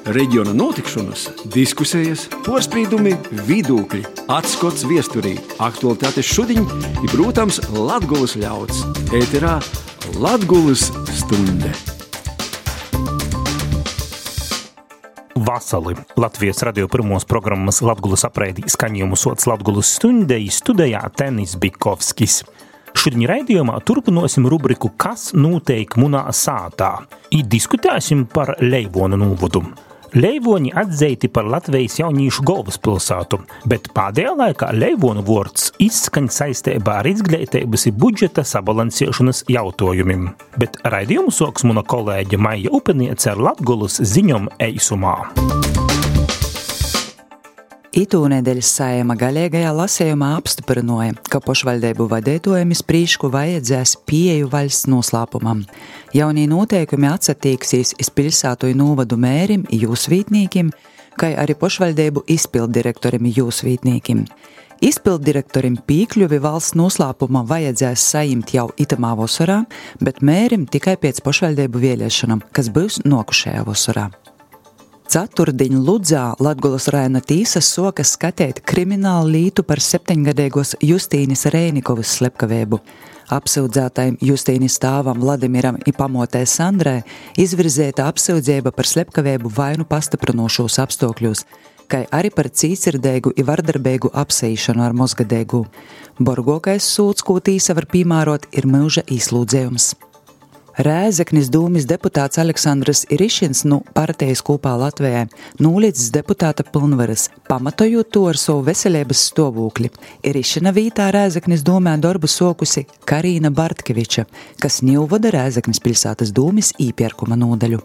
Reģiona notikšanas, diskusijas, porspīdumi, vidūkļi, atskots viesturī, aktualitātes šudiņ i, protams, Latgulas ļauds. Ēterā Latgulas stunde. Vasali Latvijas radio pirmos programmas Latgulas apraidi skaņojumu sots Latgulas stundei studijā Tenis Bikovskis. Šodien raidījumā turpinosim rubriku Kas noteik munā sātā i diskutēsim par Leivonu novodu. Leivoni atzeiti par Latvijas jaunīšu galvaspilsātu, bet pēdējā laikā Leivonu vords izskaņ saistībā ar izglītības i budžeta sabalansēšanas jautājumiem. Bet raidījumu soks muna kolēģe Maija Upeniece ar Latgulas ziņom eisumā. Itūnedēļas Saeima gaļīgajā lasējumā apstiprināja, ka pašvaldību vadītājiem iz prīšku vajadzēs pieeju valsts noslēpumam. Jaunie noteikumi atsatīksīs iz pilsātu i novadu mērim i jūsvītnīkim, kai arī pašvaldību izpilddirektorim i jūsvītnīkim. Izpilddirektorim pīkļuvi valsts noslēpuma vajadzēs sajimt jau itamā vasarā, bet mērim tikai pēc pašvaldību vēlēšanām, kas būs nokušajā vasarā. Ceturtdiņ Ludzā Latgulas rajona tīsas sokas skatēt kriminālu lītu par 7-gadīgos Justīnis Rēnikovas slepkavību. Apsūdzētajam Justīnis stāvam Vladimiram i pamotē Sandrai izvirzēta apsūdzība par slepkavību vainu pastiprinošos apstākļos, kai arī par cītsirdeigu i vardarbeigu apseišanu ar mozgadeigu. Borgokais sūds, ko tīsa var pīmārot, ir mūža īslūdzējums. Rēzeknis dūmis deputāts Aleksandrs Irišins partijas kopā Latvijai nūlīdzis deputāta pilnvaras, pamatojot to ar savu veselības stāvokli. Irišina vītā Rēzeknis dūmē darbu sokusi Karīna Bartkeviča, kas ņūvada Rēzeknis pilsētas dūmis īpierkuma nodaļu.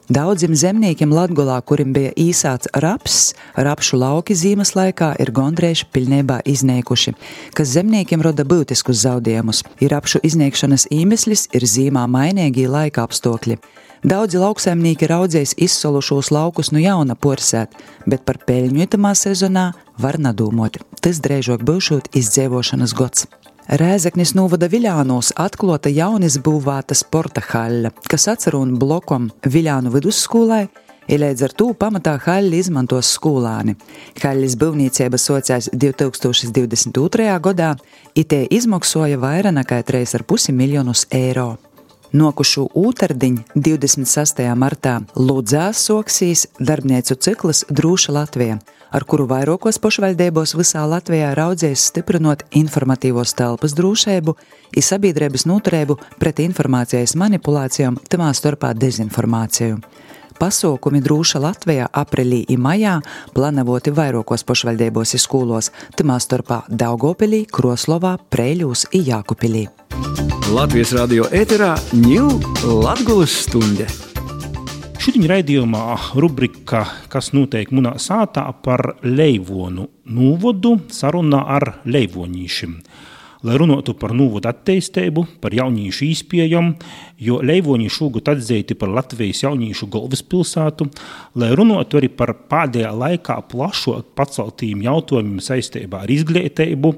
Daudzim zemniekiem Latgolā, kurim bija īsāts raps, rapšu lauki zīmes laikā ir gondrēši pilnībā izniekuši, kas zemniekiem roda būtiskus zaudējumus. Ir rapšu izniekšanas iemeslis ir zīmā mainīgi laika apstākļi. Daudzi lauksaimnieki raudzējis izsolušos laukus nu jauna porsēt, bet par peļņu itamā sezonā var nadūmot. Tas drēžok būšot izdzīvošanas gods. Rēzeknis novada Viļānos atklota jaunis būvēta sporta haļa, kas atcerūn blokom Viļānu vidusskolai, i līdz ar to pamatā haļi izmantos skolāni. Haļas būvniecība socās 2022. gadā, i tie izmaksoja vairāk nekā 3,5 miljonus eiro. Nokušu ūtardiņ 26. martā Ludzā soksīs darbniecu cikls Drūša Latvija, ar kuru vairākos pašvaldībos visā Latvijā raudzēs stiprinot informatīvos telpas drošību i sabiedrības noturību pret informācijas manipulācijām, tamā starpā dezinformāciju. Pasaukumi Drūša Latvijā aprīlī i majā planavoti vairākos pašvaldībos i skolos, tamā starpā Daugavpilī, Kroslovā, Preiļūs i Jākupilī. Latvijas radio ēterā ņū Latgulas stunde. Šodien raidījumā rubrika Kas noteik munā sātā par Leivonu novodu sarunā ar leivonīšiem. Lai runātu par novodu attīstību, par jaunīšu īspējām, jo Leivoni šogad atzīti par Latvijas jaunīšu galvaspilsātu, lai runātu arī par pēdējā laikā plašāk paceltījiem jautājumiem saistībā ar izglītību,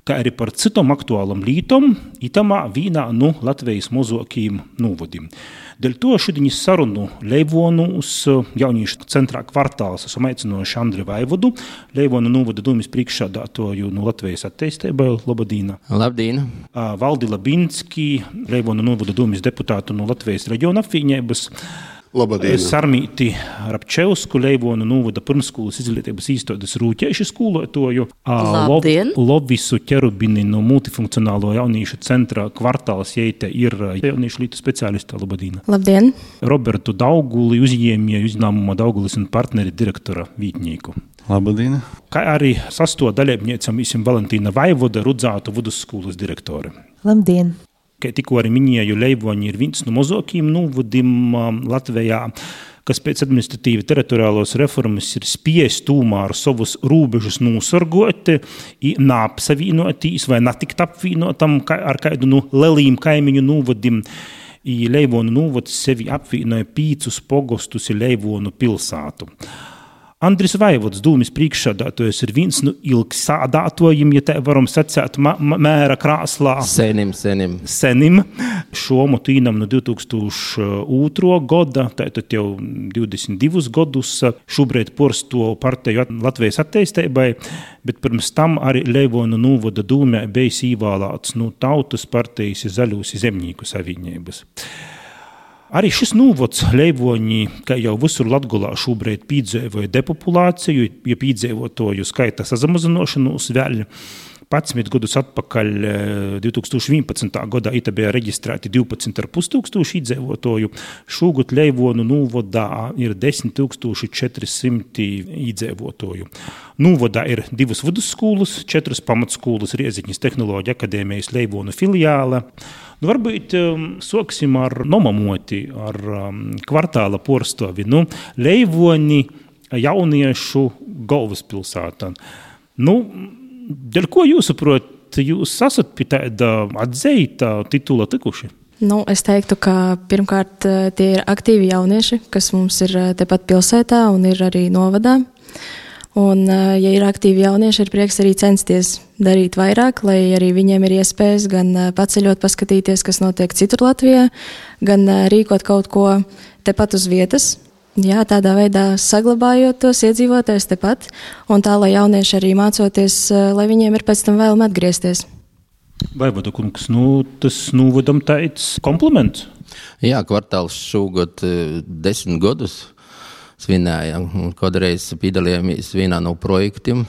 kā arī par citom aktuālam lītom, itamā vīnā no Latvijas mozokīm novodim. Dēļ to šodien sarunu Leivonus jaunīšu centrā kvartāls esam aicinoši Andri Vaivodu, Leivonu novada dūmis priekšsādātoju no Latvijas attīstībai. Labdīna. Labdīna. Valdi Labinski, Leivonu novada dūmis deputātu no Latvijas reģiona apvienības. Labdien. Sarmīti Rapčevsku, Leivonu novada pirmskolas izglītības īstotas rūķēšu skolotoju. Labdien. Lovisu Ķerubini no multifunkcionālo jaunīšu centra kvartāls jeite ir jaunīšu lītu speciālista. Labdien. Labdien. Robertu Dauguli, uzņēmēju uzņēmuma Daugulis un partneri direktora vītnieku. Labdien. Kā arī sasto dalībniecam visam Valentīna Vaivoda Rudzātu vidusskolas direktori. Labdien. Kā tikko arī minēju, Leivoni ir viens no mazākajiem novadim Latvijā, kas pēc administratīvi teritoriālos reformas ir spies tūmā ar savus rūbežus nosargot i nāpsavīnotīs vai natikt apvīnotam ar kādu no lelīm kaimiņu novadim. I Leivonu novads sevi apvīnoja 5 pogostus i Leivonu pilsātu. Andris Vaivods, dūmis priekšsādātojs, ir viens no ilgsādātojiem, ja tā varam sacēt, mēra krāslā. Senim. Šo motu īnam no 2002. Goda, tātad jau 22 godus, šobrīd porsto partiju Latvijas attīstībai, bet pirms tam arī Leivonu novada dūmē bijis īvēlēts no Tautas partijas Zaļūs zemnieku savienības. Arī šis novads Leivoņi, kā jau visur Latgolā šobrīd piedzīvoja depopulāciju, ja piedzīvotoju skaita sazamazinošanos vēl 11 gadus atpakaļ 2011. gadā ita bija reģistrēti 12,5 tūkstoši iedzīvotoju. Šogad Leivonu novadā ir 10,400 iedzīvotoju. Novadā ir 2 vidusskolas, 4 pamatskolas, Rieziņas tehnoloģija akadēmijas Leivonu filiāle. Varbūt soksim ar nomamoti, ar kvartāla porstovi. Leivoni jauniešu galvaspilsātā. Dēļ ko jūsuprāt, jūs esat pie tāda atzīta titula tikuši? Es teiktu, ka pirmkārt tie ir aktīvi jaunieši, kas mums ir tepat pilsētā un ir arī novadā. Un, ja ir aktīvi jaunieši, ir prieks arī censties darīt vairāk, lai arī viņiem ir iespējas gan paceļot, paskatīties, kas notiek citur Latvijā, gan rīkot kaut ko tepat uz vietas. Jā, tādā veidā saglabājot tos iedzīvotājus tepat, un tā, lai jaunieši arī mācoties, lai viņiem ir pēc tam vēlme atgriezties. Vaivoda kungs, tas novadam tāds kompliments? Jā, kvartāls šogad 10 gadus svinējām, un kādreiz piedalījāmies vienā no projektiem,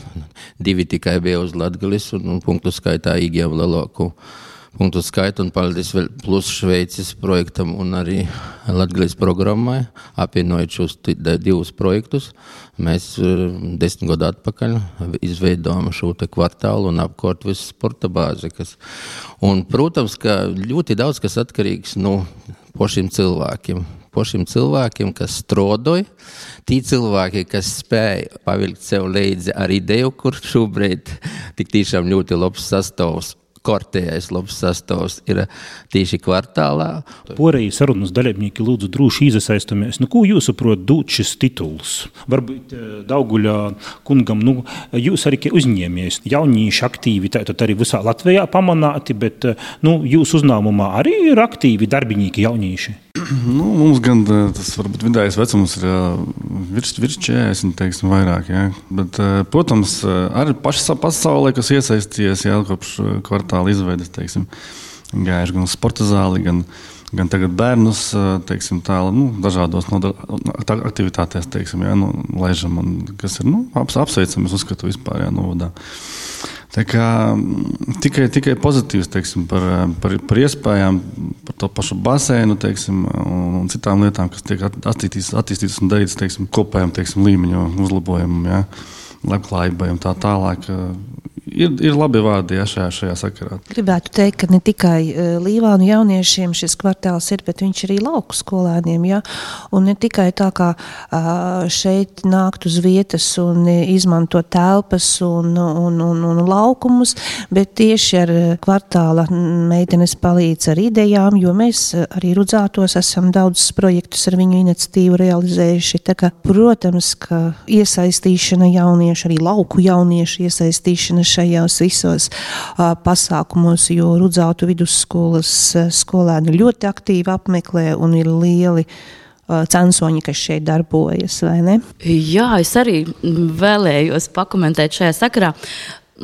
2 tikai bija uz Latgalis, un punktu skaitā īgiem lielāku punktu skaitu, un paldies vēl plus Šveicis projektam un arī Latgalis programmai, apvienojot šos 2 projektus. Mēs 10 gadu atpakaļ izveidojām šo te kvartālu un apkārt visu sporta bāzi. Un, protams, ka ļoti daudz kas atkarīgs no pašiem cilvēkiem, kas strādoja, tie cilvēki, kas spēja pavilkt sev līdzi ar ideju, kur šobrīd tik tiešām ļoti labs sastāvs, kortējais labs sastāvs ir tieši kvartālā. Porēji sarunas dalībnieki lūdzu droši izasaistamies. Ko jūs saprot dūt šis tituls? Varbūt Dauguļa kungam, jūs arī uzņēmies jaunieši aktīvi, tātad arī visā Latvijā pamanāti, bet jūs uzņēmumā arī ir aktīvi darbinīki jaunieši? Mums gan tas varbūt vidējais vecums ir virs 40, teiksim, vairāk, jā. Bet, protams, arī pasaulē, kas iesaistījies, jā, kopš kvartāla izveides, teiksim, gājuši gan uz sporta zāli, gan tagad bērnus, teiksim, dažādos aktivitātēs, teiksim, jā, laižam, un kas ir, apsveicam, es uzskatu vispār, jā, novadā. Tā kā tikai pozitīvs, teiksim, par iespējām, par to pašu baseinu, teiksim, un citām lietām, kas tiek attīstītas un darītas, teiksim, kopējām, teiksim, līmeņu uzlabojumam, jā, labklājībai un tā tālāk. Ir labi vārdi, jā, šajā sakarā. Gribētu teikt, ka ne tikai Līvānu jauniešiem šis kvartāls ir, bet viņš arī lauku skolēniem, jā, un ne tikai tā kā šeit nākt uz vietas un izmantot telpas un laukumus, bet tieši ar kvartāla meitenes palīdz ar idejām, jo mēs arī Rudzātos esam daudzus projektus ar viņu iniciatīvu realizējuši, tā kā, protams, ka iesaistīšana jauniešu, arī lauku jauniešu iesaistīšana šajos visos pasākumos, jo Rudzātu vidusskolas skolēni ļoti aktīvi apmeklē un ir lieli censoņi, kas šeit darbojas, vai ne? Jā, es arī vēlējos pakomentēt šajā sakarā.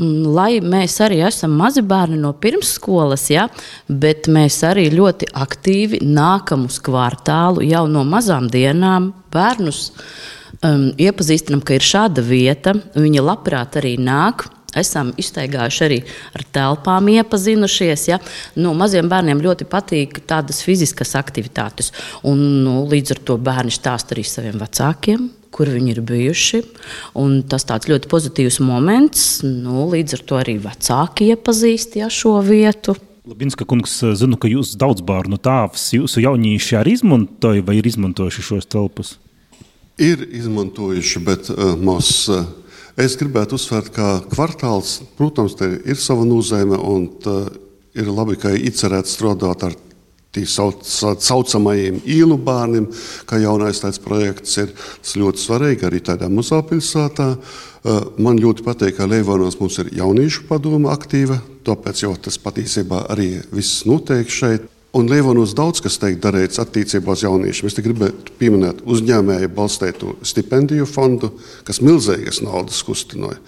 Lai mēs arī esam mazi bērni no pirmsskolas, ja, bet mēs arī ļoti aktīvi nākam uz kvartālu jau no mazām dienām bērnus iepazīstinam, ka ir šāda vieta, viņi labprāt arī nāk. Esam izteigājuši arī ar telpām iepazinušies. Ja? Maziem bērniem ļoti patīk tādas fiziskas aktivitātes. Un, līdz ar to bērni stāsta arī saviem vecākiem, kur viņi ir bijuši. Un tas tāds ļoti pozitīvs moments. Līdz ar to arī vecāki iepazīst šo vietu. Labinska kungs, zinu, ka jūs daudz bērnu tāvs, jūsu jaunieši arī izmantoja vai ir izmantojuši šos telpas? Ir izmantojuši, bet es gribētu uzsvērt, ka kvartāls, protams, te ir sava nozīme un ir labi, ka ir iecerēts strādāt ar tī saucamajiem īlu bērniem, kā jaunais tāds projekts ir. Tas ļoti svarīgi arī tādā mazāpilsētā. Man ļoti patīk, ka Leivonos mums ir jauniešu padoma aktīva, tāpēc jau tas patiesībā arī viss notiek šeit. Un Leivonos daudz kas tiek darīts attiecībā uz jauniešiem. Es te gribētu pieminēt uzņēmēju balstītu stipendiju fondu, kas milzīgas naudas kustinoja.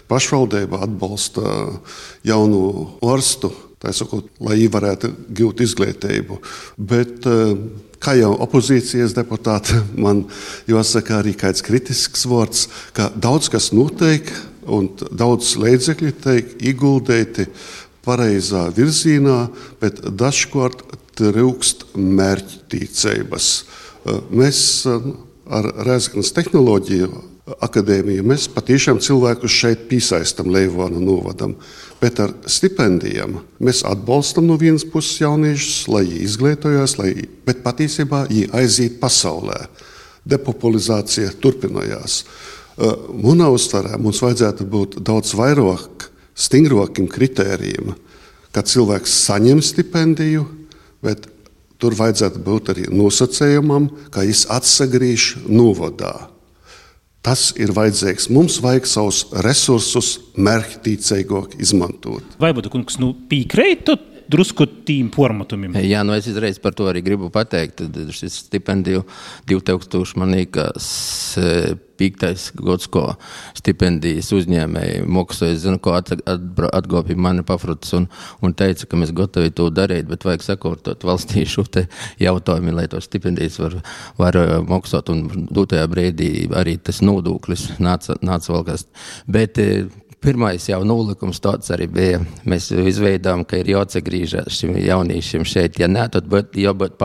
Pašvaldība atbalsta jaunu ārstu, tā sakot, lai viņi varētu gūt izglītību. Bet, kā jau opozīcijas deputāti, man jāsaka arī kāds kritisks vārds, ka daudz kas notiek un daudz līdzekļu tiek ieguldīti pareizā virzienā, bet dažkārt trūkst mērķtiecības. Mēs ar Rēzeknes tehnoloģiju akadēmiju mēs patiešām cilvēkus šeit piesaistam Leivonu novadam, bet ar stipendijām mēs atbalstam no vienas puses jauniešus, lai viņi izglītojās, bet patiesībā viņi aiziet pasaulē. Depopulizācija turpinājās. Manā uztverē mums vajadzētu būt daudz vairāk stingrākiem kritērijiem, kad cilvēks saņem stipendiju, bet tur vajadzētu būt arī nosacējumam, ka viņš atsagrīž novadā. Tas ir vajadzīgs. Mums vajag savus resursus mērķtiecīgāk izmantot. Vai būtu, kungs, piekrītu drusku tīm formatumiem? Jā, es izreiz par to arī gribu pateikt. Šis stipendiju 2000 man liekas 5. gads, ko stipendijas uzņēmēji maksāja. Es zinu, ko atgopja mani pafrutas un teica, ka mēs gatavi to darīt, bet vajag sakārtot valstī šo te jautājumu, lai to stipendijas var maksāt. Un dotajā brīdī arī tas nodoklis nāca vēl kas. Bet pirmais jau nolikums tāds arī bija. Mēs izveidām, ka ir jāatsagrīžās šim jauniešiem šeit. Ja nē, tad jābūt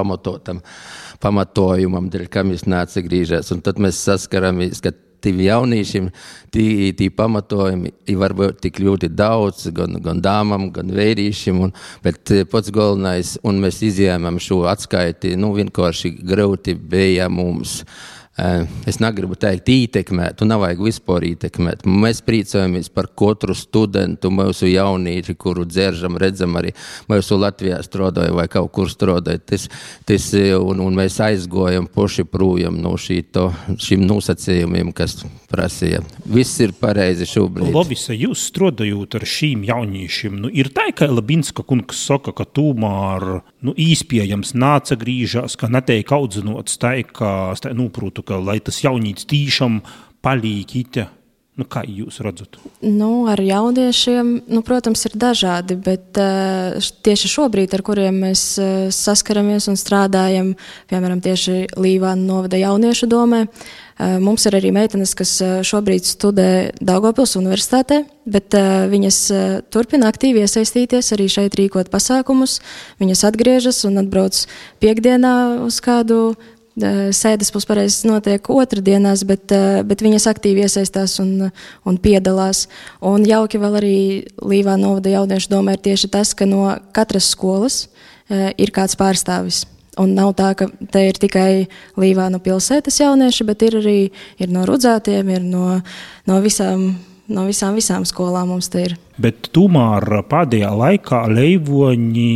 pamatojumam, dēļ, kam jūs neatsagrīžās. Un tad mēs saskaramies, ka tiem jauniešiem tī pamatojumi var būt tik ļoti daudz, gan dāmam, gan vērīšiem, bet pats galvenais, un mēs izjēmam šo atskaiti, vienkārši grūti bija mums. Es negribu teikt ietekmēt, un nav vajag vispār ietekmēt. Mēs priecājamies par katru studentu, mūsu jaunieši, kuru dzeržam, redzam arī mūsu Latvijā strādāja vai kaut kur strādāja. Un mēs aizgojam poši projām no šīm nosacījumiem, kas prasīja. Viss ir pareizi šobrīd. Lovisa, jūs strādājot ar šīm jauniešiem, ir tā, ka Labinska kungs saka, ka tomēr īspējams nāca grīžās, ka netiek audzinots tā, ka nūprūtu, ka lai tas jaunīts tīšām palīkīte. Kā jūs redzat? Ar jauniešiem, protams, ir dažādi, bet tieši šobrīd, ar kuriem mēs saskaramies un strādājam, piemēram, tieši Līvānu novada jauniešu domē, mums ir arī meitenes, kas šobrīd studē Daugavpils universitātē, bet viņas turpina aktīvi iesaistīties, arī šeit rīkot pasākumus. Viņas atgriežas un atbrauc piekdienā uz kādu sēdes puspareizes notiek otrdienās, bet viņas aktīvi iesaistās un piedalās. Un jauki vēl arī Līvānu novada jauniešu domē ir tieši tas, ka no katras skolas ir kāds pārstāvis. Un nav tā, ka te ir tikai Līvānu pilsētas jaunieši, bet ir arī no Rudzātiem, ir no visām skolām mums te ir. Bet tomēr pēdējā laikā Leivoņi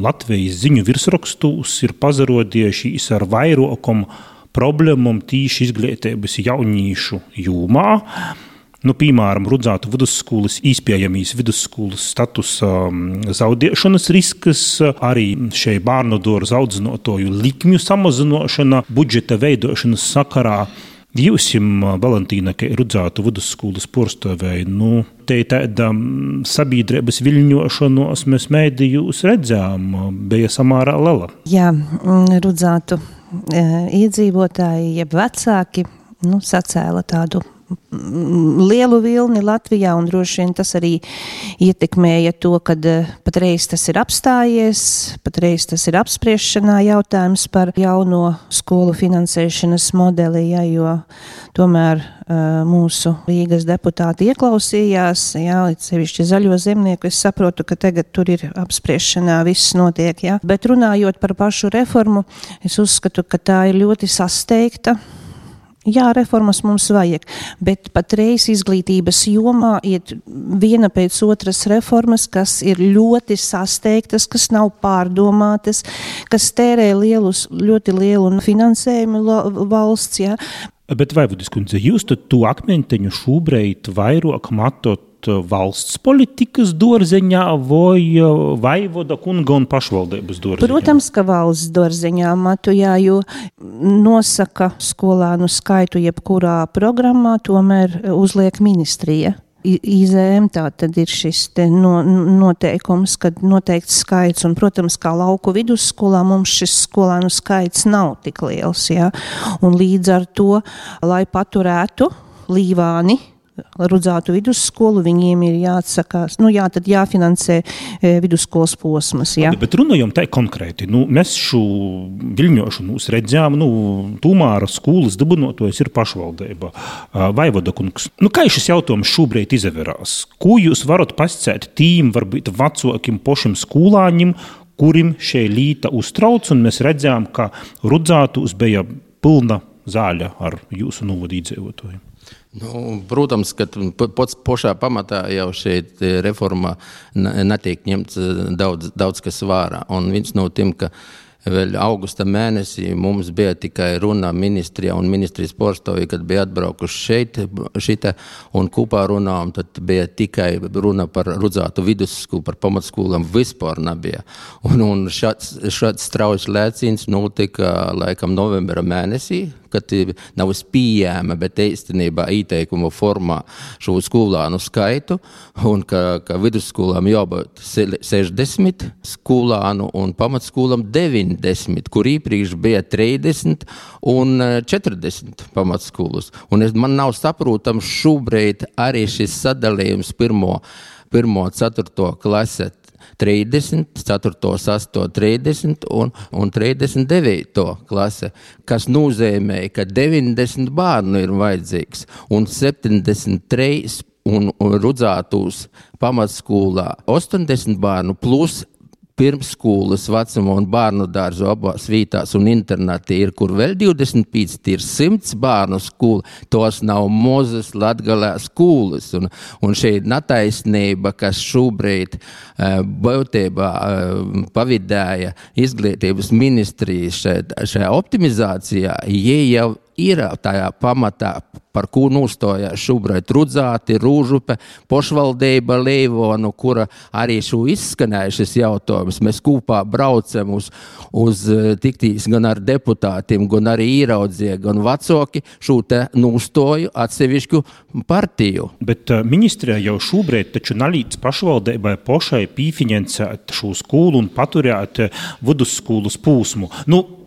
Latvijas ziņu virsrakstus ir pazarodiešies ar vairākam problēmām tīši izglītības jauniešu jomā. Piemēram, Rudzātu vidusskolas īspējamīs vidusskolas statusa zaudēšanas risks, arī šai bērnu dārza audzinātoju likmju samazināšana, budžeta veidošanas sakarā. Jūsim, Valentīna, ka Rudzātu vidusskolas porstovēja, te tāda sabiedrības viļņošanos mēs mēdījus redzām, bija samārā lela. Jā, Rudzātu iedzīvotāji, jeb vecāki, sacēla tādu lielu vilni Latvijā, un droši vien tas arī ietekmēja to, kad patreiz tas ir apstājies, patreiz tas ir apspriešanā jautājums par jauno skolu finansēšanas modeli, jo tomēr mūsu Rīgas deputāti ieklausījās, sevišķi Zaļo zemnieku, es saprotu, ka tagad tur ir apspriešanā viss notiek, bet runājot par pašu reformu, es uzskatu, ka tā ir ļoti sasteigta. Jā, reformas mums vajag, bet patreiz izglītības jomā iet viena pēc otras reformas, kas ir ļoti sasteigtas, kas nav pārdomātas, kas tērē ļoti lielu finansējumu valsts, jā. Bet Vaivudis kundze, jūs tad to akmenteņu šobrīd vairāk matot valsts politikas dārzeņā vai vaivoda kunga un pašvaldības dārzeņā? Protams, ka valsts dārzeņā matu, jā, jo nosaka skolānu skaitu jebkurā programmā, tomēr uzliek ministrija. IZM tā tad ir šis te noteikums, kad noteikts skaits, un, protams, kā lauku vidusskolā mums šis skolānu skaits nav tik liels, jā, un līdz ar to, lai paturētu Līvāni, Rudzātu vidusskolu, viņiem ir jāatsakās, tad jāfinansē vidusskolas posmas, jā. Bet runājam tā konkrēti, mēs šo viļņošanos redzējām, Tūmāra skolas dibinotojs ir pašvaldība, Vaivoda kungs. Kā šis jautājums šobrīd izaverās? Ko jūs varat pasacēt tīm, varbūt vecākiem pošiem skolāņiem, kurim šī līta uztrauc, un mēs redzējām, ka Rudzātos bija pilna zāļa ar jūsu novadu iedzīvotājiem? Protams, ka pašā pamatā jau šeit reformā netiek ņemts daudz kas vērā. Un viens no tiem, ka vēl augusta mēnesī mums bija tikai runa ministrijā un ministrijas porstovi, kad bija atbraukuši šita un kopā runām, tad bija tikai runa par Rudzātu vidusskolu, par pamatskolām vispār nebija. Un šāds strauji lēciens notika laikam novembra mēnesī, kad nav pieejama, bet īstenībā ieteikuma formā šo skolānu skaitu, un ka vidusskolām jābūt 60 skolānu un pamatskolām 90, kur iepriekš bija 30 un 40 pamatskolas. Un man nav saprotams šobrīd arī šis sadalījums pirmo 4. klase 30, 4. 8. 30 un 39. klase, kas nozīmē, ka 90 bērnu ir vajadzīgs un 73 un Rudzātos pamatskolā 80 bērnu plus pirmsskolas vecuma un bērnu dārzu abās vietās un internāti ir, kur vēl 25, ir 100 bērnu skola, tos nav mazas Latgalē skolas. Un šeit netaisnība, kas šobrīd būtībā pavidēja izglītības ministrijas šajā optimizācijā, jau ir tajā pamatā, par ko nostājās šobrīd Rudzāti, Rūžupe, pašvaldība Leivonu, kura arī šo izskanēja šis jautājums. Mēs kopā braucam uz tiktīs gan ar deputātiem, gan arī īraudzie, gan vecāki šo te nostāju atsevišķu partiju. Bet ministrijā jau šobrīd taču nalīdz pašvaldībai pašai pīfinansēt šo skolu un paturēt vidusskolas pūsmu.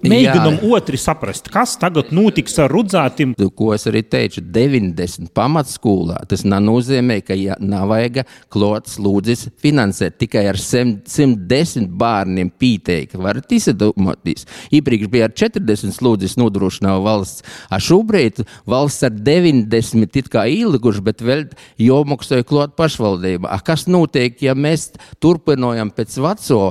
Mēģinam otri saprast, kas tagad notiks ar Rudzātim. Ko es arī teicu, 90 pamatskolā, tas nenozīmē, ka nav vajag klots lūdzis finansēt tikai ar 110 bērniem pīteikti. Varat izdomāties. Iepriekš bija ar 40 lūdzis nodrošināja valsts. Šobrīd valsts ar 90 it kā ielikuši, bet vēl jomaksāja klot pašvaldība. Kas notiek, ja mēs turpinojam pēc veco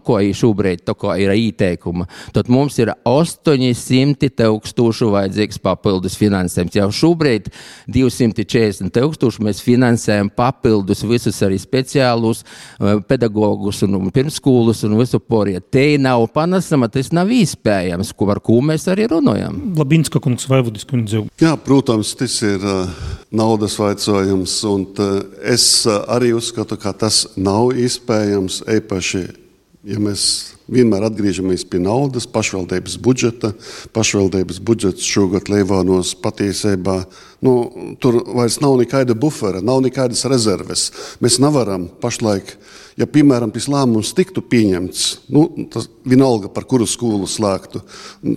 ko šobrīd to, ko ir ieteikuma, tad mums ir 800,000 vajadzīgs papildus finansējums. Jau šobrīd 240,000 mēs finansējam papildus visus arī speciālus pedagogus un pirmsskolas un visu poriet. Te nav panesama, tas nav iespējams, par ko mēs arī runājam. Labinska kungs, Vaivudis kundze. Jā, protams, tas ir naudas vaicājums, un es arī uzskatu, ka tas nav iespējams, īpaši, ja mēs vienmēr atgriežamies pie naudas, pašvaldības budžeta. Pašvaldības budžets šogad Leivānos patiesībā, tur vairs nav nekāda bufera, nav nekādas rezerves. Mēs nevaram pašlaik, ja, piemēram, tas lēmums tiktu pieņemts, tas vienalga, par kuru skolu slēgtu,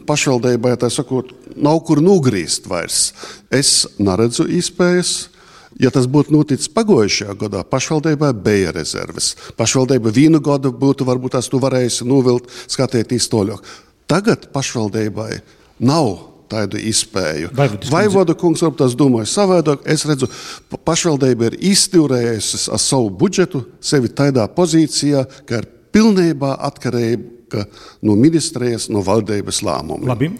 pašvaldībai, tā sakot, nav kur nogrīzt vairs. Es neredzu iespējas. Ja tas būtu noticis pagājušajā gadā, pašvaldībai bija rezerves. Pašvaldība vienu gadu būtu varbūt tās tu varējusi novilt, skatīties toļāk. Tagad pašvaldībai nav tādu iespēju. Vaivoda kungs varbūt tās domāja savādāk. Es redzu, pašvaldība ir izturējusi ar savu budžetu sevi tādā pozīcijā, ka ir pilnībā atkarība netika no ministrijas, no valdības lēmumi. Labi,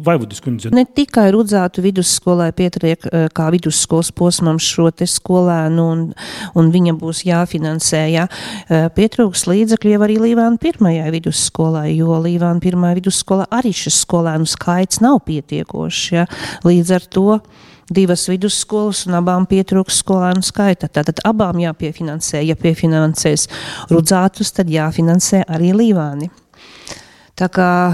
Vaivodas kundze. Ne tikai Rudzātu vidusskolai pietiek kā vidusskolas posmam šo te skolēnu un viņa būs jāfinansē, jā. Pietrūks līdzekļu jau arī Līvānu pirmajai vidusskolai, jo Līvānu pirmajai vidusskolai arī šis skolēnu skaits nav pietiekošs, jā. Līdz ar to 2 vidusskolas un abām pietrūks skolēnu skaita. Tātad abām jāpiefinansē. Ja piefinansēs Rudzātus, tad jāfinansē arī Līvāni. Tā kā,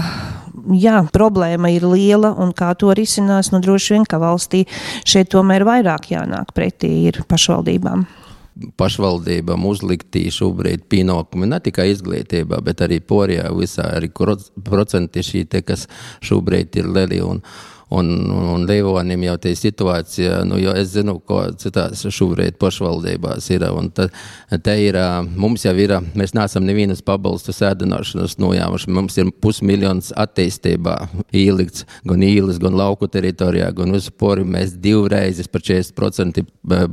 jā, problēma ir liela un kā to risinās, droši vien, ka valstī šeit tomēr vairāk jānāk pretī ir pašvaldībām. Pašvaldībām uzliktī šobrīd pienākumi ne tikai izglītībā, bet arī Porijā visā arī procenti šī te, kas šobrīd ir lieli un Leivonim jau tie situācija, jo es zinu, ko citās šobrīd pašvaldībās ir, un te ir, mums jau ir, mēs neesam nevienas pabalstu sēdināšanas nojāmuši, mums ir 500 000 attīstībā ielikts, gan īles, gan lauku teritorijā, gan uz Pori, mēs 2 reizes par 40%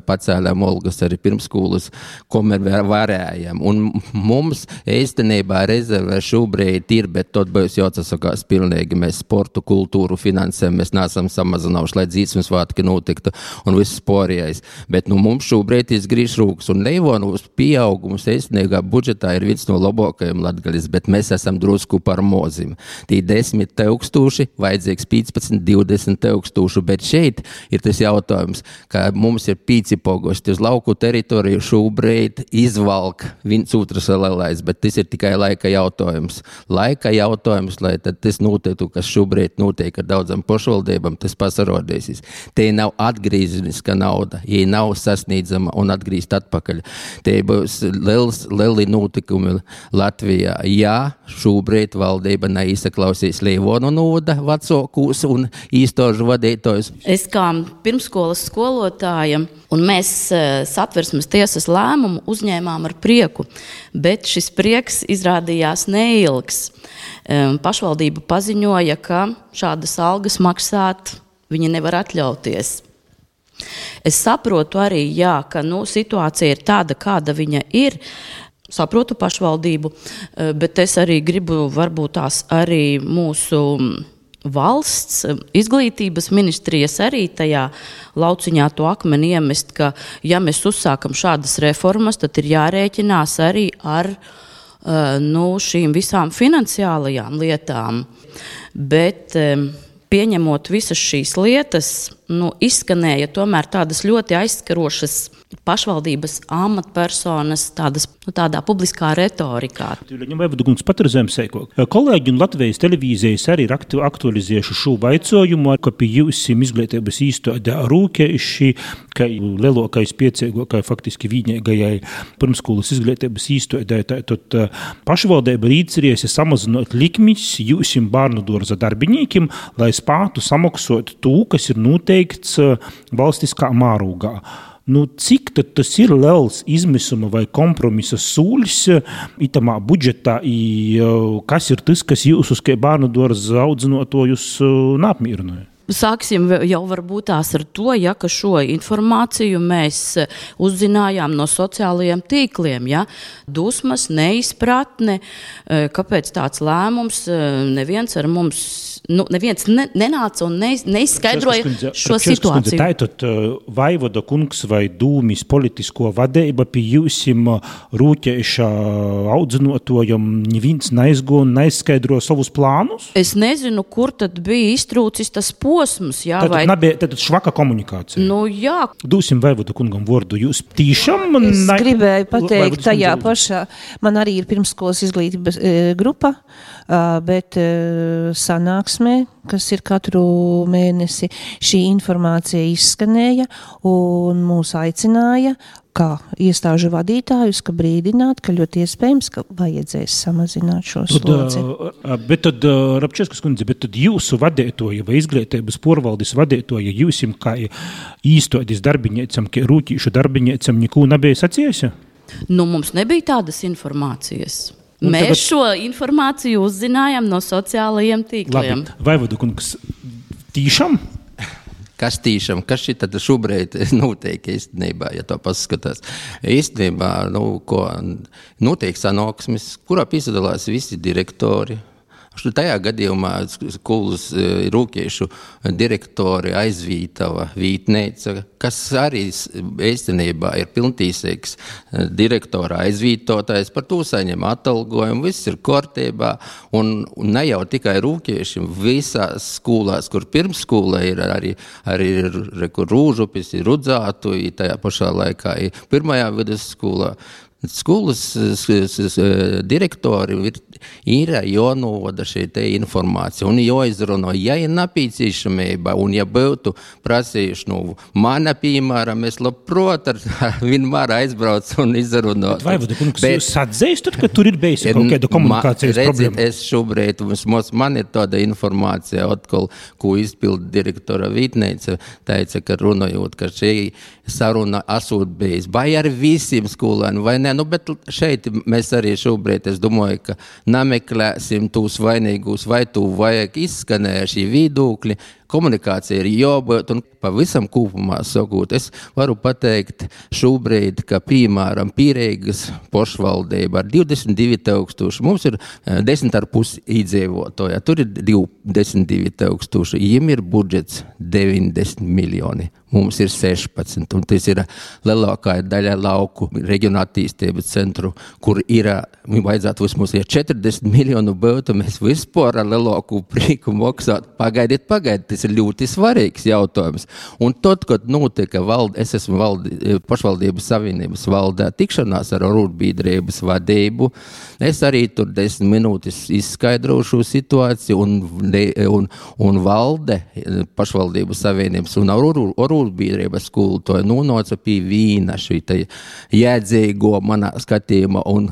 pacēlām olgas arī pirmsskolas, komēr varējām, un mums īstenībā rezervē šobrīd ir, bet tot būs jāatsakās pilnīgi, mēs sportu, kultūru finansēm, mēs neesam samazinājuši, lai dzīsmes svētki notiktu un viss Porijais. Bet mums šobrīd izgrīž rūkas un Leivonus pieaugums īstenībā budžetā ir viens no labākajiem Latgalis, bet mēs esam drusku par mozim. Tī 10 000, vajadzīgs 15, 20 000, bet šeit ir tas jautājums, ka mums ir 5 pogosti uz lauku teritoriju šobrīd izvalk viens otrs lielais, bet tas ir tikai laika jautājums. Laika jautājums, lai tad tas notiktu, kas šobrīd notiek ar daudzam pašvaldībām, tas pasarodīsies. Te nav atgrīzeniska nauda, ja nav sasniedzama un atgrīzt atpakaļ. Te būs lieli notikumi Latvijā. Ja šobrīd valdība neizsaklausīs Leivonu novada vecākos un īstožu vadītājus. Es kā pirmskolas skolotāja un mēs Satversmes tiesas lēmumu uzņēmām ar prieku, bet šis prieks izrādījās neilgs. Pašvaldība paziņoja, ka šādas algas maksāt viņi nevar atļauties. Es saprotu arī, jā, ka situācija ir tāda, kāda viņa ir. Saprotu pašvaldību, bet es arī gribu varbūt tās arī mūsu valsts izglītības ministrijas arī tajā lauciņā to akmeni iemest, ka ja mēs uzsākam šādas reformas, tad ir jārēķinās arī ar šīm visām finansiālajām lietām. Bet pieņemot visas šīs lietas, izskanēja tomēr tādas ļoti aizskarošas pašvaldības amatpersonas tādā publiskā retorikā. Kolēģi un Latvijas televīzijas arī ir aktualizējuši šo vaicojumu, ka pie jūsim izglītības īstodā rūkējuši, ka lielākais piecīgākai faktiski vienīgajai pirmskolas izglītības īstodai, tad pašvaldība rīcerēsi samazinot likmis jūsim bērnu dārza darbiniekiem, lai spētu samaksot to, kas ir noteikts valstiskā mārūgā. Cik tad tas ir liels izmisuma vai kompromisa sūļs itamā budžetā, kas ir tas, kas jūs uz bērnu dārza audzinotojus neapmierināja? Sāksim jau varbūt tās ar to, ka šo informāciju mēs uzzinājām no sociālajiem tīkliem. Ja? Dusmas, neizpratne, kāpēc tāds lēmums, neviens ar mums neviens nenāca un neizskaidroja šo situāciju. Tātad Vaivoda kungs vai dūmis politisko vadība pie jūsim rūķējušā audzinotojam neviens neizskaidro savus plānus? Es nezinu, kur tad bija iztrūcis tas posms. Jā, tad švaka komunikācija. Jā. Dūsim Vaivoda kungam vārdu. Jūs tīšām? Es gribēju pateikt tajā pašā. Man arī ir pirmskolas izglītības grupa, bet sanāksmē, kas ir katru mēnesi, šī informācija izskanēja un mūs aicināja, kā iestāžu vadītājus, ka brīdināt, ka ļoti iespējams, ka vajadzēs samazināt šo slodzi. Bet tad, Rabčevskas kundze, bet tad jūsu vadītoja vai izglītības porvaldes vadītoja jūsim kā īstodis darbiņiecam, kā rūtīšu darbiņiecam neko nebija sacījusi? Mums nebija tādas informācijas. Mēs šo informāciju uzzinājām no sociālajiem tīkliem. Labi, Vaivoda kungs, tīšām? kas šitad šobrīd notiek īstenībā, ja to paskatās. Īstenībā, ko notiek sanāksmes, kurā piesadalās visi direktori. Tajā gadījumā skolas rūkiešu direktori aizvītava vītneica, kas arī īstenībā ir pilntīsīgs direktora aizvītotājs, par to saņem atalgojumu, viss ir kārtībā, un ne jau tikai rūkieši, visās skolās, kur pirmsskola ir arī kur Rūžupis, ir Rudzātu, tajā pašā laikā ir pirmajā vidusskolā. Skolas direktori ir jānovada šī te informācija un jāizrunā, ja ir nepieciešamība un ja būtu prasījuši, mana piemēram, es labprot vienmēr aizbrauc un izrunāt. Vaivoda kungs, jūs atzīstat, ka tur ir bijis kaut kāda komunikācijas problēma? Es šobrīd, man ir tāda informācija, atkal, ko izpildu direktora Vītneica, teica, ka runājot, ka šī saruna esot bijis, vai ar visiem skolēniem, vai ne, bet šeit mēs arī šobrīd, es domāju, ka nemeklēsim tūs vainīgus, vai tu vajag izskanēja šī viedokļi, komunikācija ir jābūt un pavisam kopumā sakot. Es varu pateikt šobrīd, ka piemēram Pīreigas pašvaldība ar 22,000, mums ir 10,5 iedzīvotāji, tur ir 22,000, viņiem ir budžets 90 miljoni. Mums ir 16, un tas ir lielākā daļa lauku reģionu attīstības centru, kur vajadzētu vismaz 40 miljonu būtu, mēs vispār ar lielāku prieku maksāt. Pagaidiet, tas ir ļoti svarīgs jautājums. Un tad, kad notika es esmu pašvaldības savienības valdē tikšanās ar arotbiedrības vadību, es arī tur 10 minūtes izskaidrošu situāciju un valde pašvaldības savienības un arotbiedrības skolotāji nonāca pie vīna šī jēdzīgo manā skatījumā un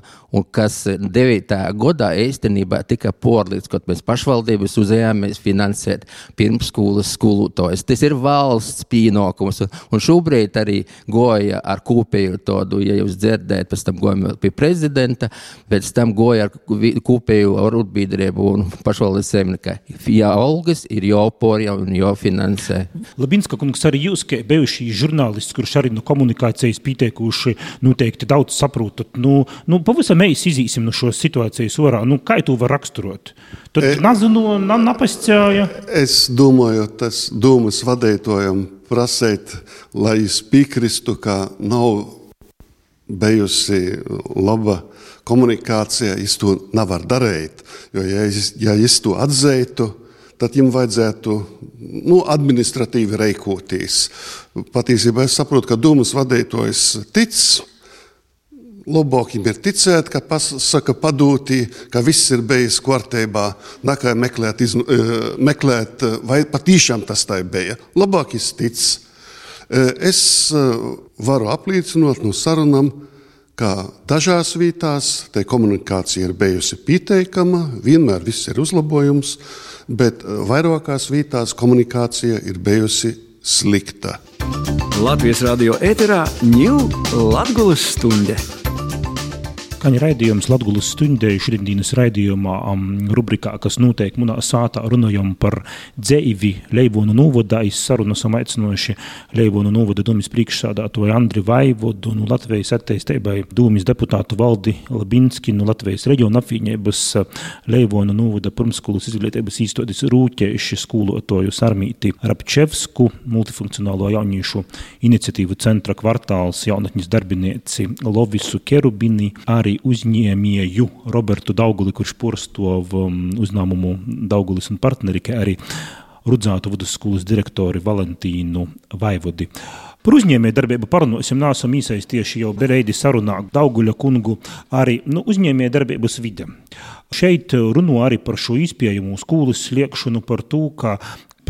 kas 9. gadā īstenībā tika porlīdz, kad mēs pašvaldības uzējāmies finansēt pirmsskolas skolotājus. Tas ir valsts pienākums, un šobrīd arī goja ar kopēju tādu, ja jūs dzirdēt, pēc tam gojam pie prezidenta, pēc tam goja ar kopēju arotbiedrību un pašvaldības saimniekā. Ja algas ir jāporja un jāfinansē. Labinska kungs, arī jūs, ka bijuši žurnālisti, kurš arī no komunikācijas pieteikuši, noteikti daudz saprotat. Pavisam mēs izīsim no šo situācijas orā. Kā tu var raksturot? Tad nazinu, napascāja. Es domāju, tas domas vadītājam prasēt, lai es piekristu, ka nav bijusi laba komunikācija, es to nevar darīt. Jo ja es to atzeitu, tad jums vajadzētu administratīvi reikoties. Patiesībā es saprotu, ka domas vadītājs tic, labāk viņam ir ticēt, ka pasaka padūtī, ka viss ir bijis kārtībā, nekā meklēt, vai patīšām tas tā bija. Labāk es tic. Es varu apliecinot no sarunam, ka dažās vietās te komunikācija ir bijusi pieteikama, vienmēr viss ir uzlabojums, bet vairākās vietās komunikācija ir bijusi slikta. Latvijas radio ēterā ņū Latgulas stunde. Kaņa raidījums Latgulas stundē šodienas raidījumā rubrikā, kas notiek munā sātā, runājam par dzeivi Leivonu novadā. Sarunu esam aicinoši Leivonu novada domas priekšsādātoju Andri Vaivodu, Latvijas attīstībai domas deputātu Valdi Labinski, Latvijas reģiona apvienības Leivonu novada pirmsskolas izglītības īstotis rūķējuši skolotoju Sarmīti Rapčevsku, multifunkcionālo jauniešu iniciatīvu centra kvartāls jaunatņas darbinieci Lovisu Kerubini, arī uzņēmēju Robertu Dauguli, kurš porstov uzņēmumu Daugulis un partneri, kā arī Rudzātu vidusskolas direktori Valentīnu Vaivodi. Par uzņēmēju darbību parunāsim, nāsam iesaistījuši jau bereidi sarunā Dauguļa kungu arī uzņēmēju darbības vide. Šeit runā arī par šo izpējumu skolas sliekšanu, par to, ka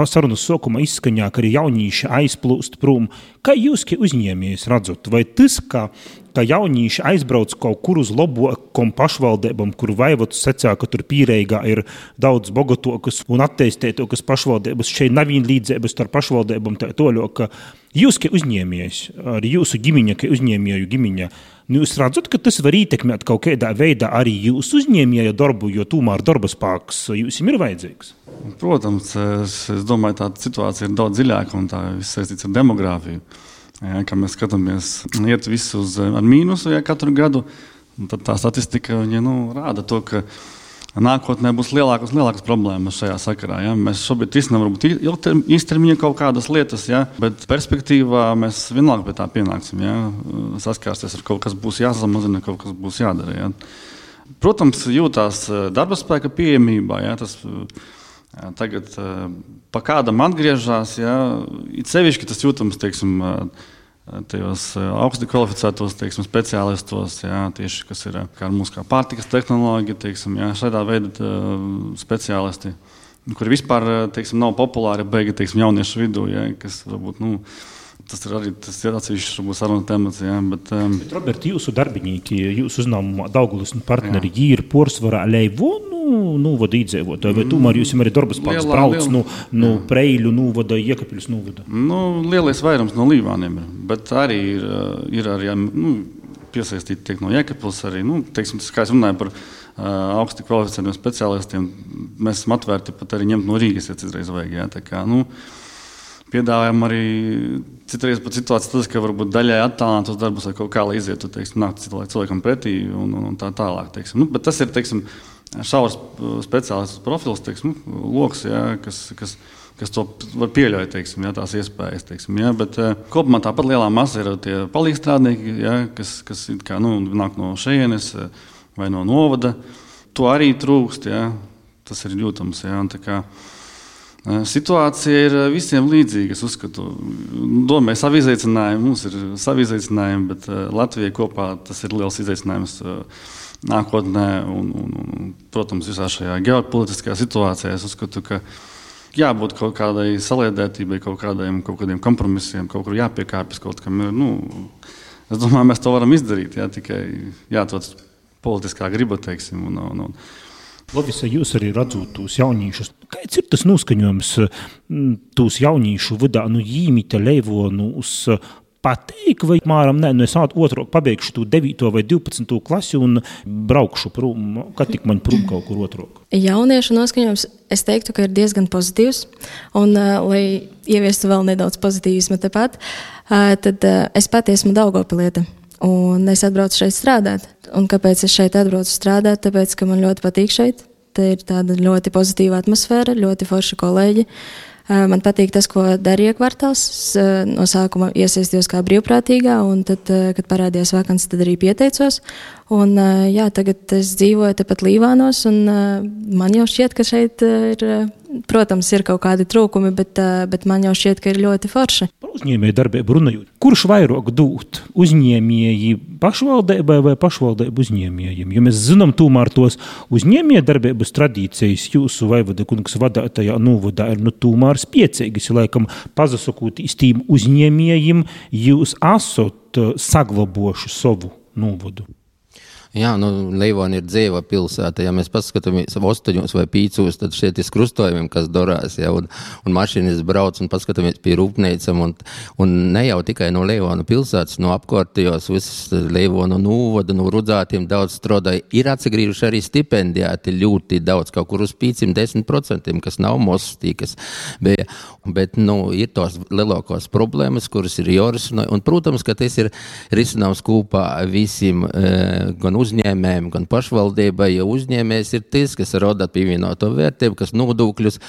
sarunas sākumā izskaņā, ka arī jaunieši aizplūst prom. Kā jūs, kā uzņēmējs, redzat? Vai tas, ka jaunieši aizbrauc kaut kur uz labākām pašvaldībām, kur Vaivods secā, ka tur Pīreigā ir daudz bogotokas un attīstītākas pašvaldības, šeit nav vienlīdzības starp pašvaldībām, tā toļo, ka jūs, kā uzņēmējs, arī jūsu ģimeņa, kā uzņēmēju ģimeņa, jūs redzat, ka tas var ietekmēt kaut kādā veidā arī jūsu uzņēmēja darbu, jo tomēr darba spēks jums ir vajadzīgs? Protams, es domāju, tā situācija ir daudz dziļāka un tā viss saistīts ar demogrāfiju. Ja, kā mēs skatāmies, iet visu ar mīnusu katru gadu, tad tā statistika rāda to, ka nākotnē būs lielākas problēmas šajā sakarā. Ja. Mēs šobrīd risinām varbūt īstermiņa kaut kādas lietas, ja, bet perspektīvā mēs vienalga pie tā pienāksim. Ja. Saskārsties ar kaut kas būs jāsamazina, kaut kas būs jādara. Ja. Protams, jūtās darba spēka pieejamībā. Ja, tas tagad pa kādam atgriežās, ja, it sevišķi tas jūtams, teiksim, tajos augsti kvalificētos, teiksim, speciālistos, jā, tieši, kas ir kā mūsu pārtikas tehnoloģija, teiksim, jā, šādā veida speciālisti, kuri vispār, teiksim, nav populāri beigi, teiksim, jauniešu vidū, jā, kas varbūt, tas ir arī tas atsevišķs varbūt saruna temats, jā, bet Robert, jūsu darbinīki, jūsu uzņēmumā Daugavas partneri, jī ir porsvarā Leivonu novada iedzīvotāji, vai tomēr jūs arī darbaspēks brauc no Preiļu novada, Iekapļus novada? Lielais vairums no Līvāniem, bet arī ir arī piesaistīti tiek no Iekapļus arī, teiksim, kā es runāju par augsti kvalificētiem speciālistiem, mēs esam atvērti pat arī ņemt no Rīgas, ja citreiz vajag, jā, tā kā, piedāvājam arī citreiz pat situācijas tas, ka varbūt daļai attālināt uz darbus vai kaut kā, lai izietu, teiksim, nākt cilvēkam pretī un tā tālāk, teiksim. Bet tas ir, teiksim, šaurs speciālists profils, teiksim, loks, jā, kas to var pieļaut, teiksim, jā, tās iespējas, teiksim, jā, bet kopumā tāpat lielā masa ir tie palīgstrādnieki, jā, kas kā, nāk no šejienes vai no novada. To arī trūkst, jā, tas ir jūtams, jā, un tā kā situācija ir visiem līdzīga, es uzskatu. Domāju, savi izaicinājumi, mums ir savi izaicinājumi, bet Latvijai kopā tas ir liels izaicinājums nākotnē un protams, visā šajā ģeopolitiskajā situācijā. Es uzskatu, ka jābūt kaut kādai saliedētībai, kaut kādiem kompromisiem, kaut kur jāpiekāpjas kaut kam. Es domāju, mēs to varam izdarīt, jā, tikai jāatrod politiskā griba, teiksim, un Lovisa, jūs arī redzot tūs jaunīšus. Kāds ir tas noskaņojums tūs jaunīšu vidā, Jīmita Leivonu uz pateik, vai māram, es otrāk pabeigšu tu 9. vai 12. klasi un braukšu prom, kad tik man prom kaut kur otrāk? Jauniešu noskaņojums, es teiktu, ka ir diezgan pozitīvs, un, lai ieviestu vēl nedaudz pozitīvisma tepat, tad es pat esmu Daugavpiliete. Un es atbraucu šeit strādāt. Un kāpēc es šeit atbraucu strādāt? Tāpēc, ka man ļoti patīk šeit. Te ir tāda ļoti pozitīva atmosfēra, ļoti forši kolēģi. Man patīk tas, ko darīja kvartāls. No sākuma iesaistījos kā brīvprātīgā, un tad, kad parādījās vakances, tad arī pieteicos. Un, jā, tagad es dzīvoju tepat Līvānos, un man jau šķiet, ka šeit ir, protams, ir kaut kādi trūkumi, bet man jau šķiet, ka ir ļoti forši. Par uzņēmēju darbību runājot, kurš vairāk dūt uzņēmēji pašvaldībai vai pašvaldību uzņēmējiem? Jo mēs zinām tomēr tos uzņēmēju darbības tradīcijas jūsu vaivada kungs vadātajā novadā ir tomēr spiecīgas, laikam pazasakot īstīm uzņēmējiem, jūs esat saglabošu savu novadu. Jā, Leivona ir dzīva pilsēta. Ja mēs paskatāmies 8 vai 5, tad šeit ir krustojumiem, kas dorās, ja, un mašīnas brauc un paskatāmies pie rūpnīcam, un ne jau tikai no Leivona pilsētas, no apkārtējos visas Leivona novada, no Rudzātiem daudz strādāja. Ir atsagrījuši arī stipendijāti ļoti daudz, kaut kur uz 5-10%, kas nav mostīkas. Bet ir tos lielākās problēmas, kuras ir jārisina, un, protams, ka tas ir risināms kopā visiem gan uzņēmējiem, gan pašvaldībai, jo uzņēmējs ir tas, kas rada pievienoto vērtību, kas nodokļus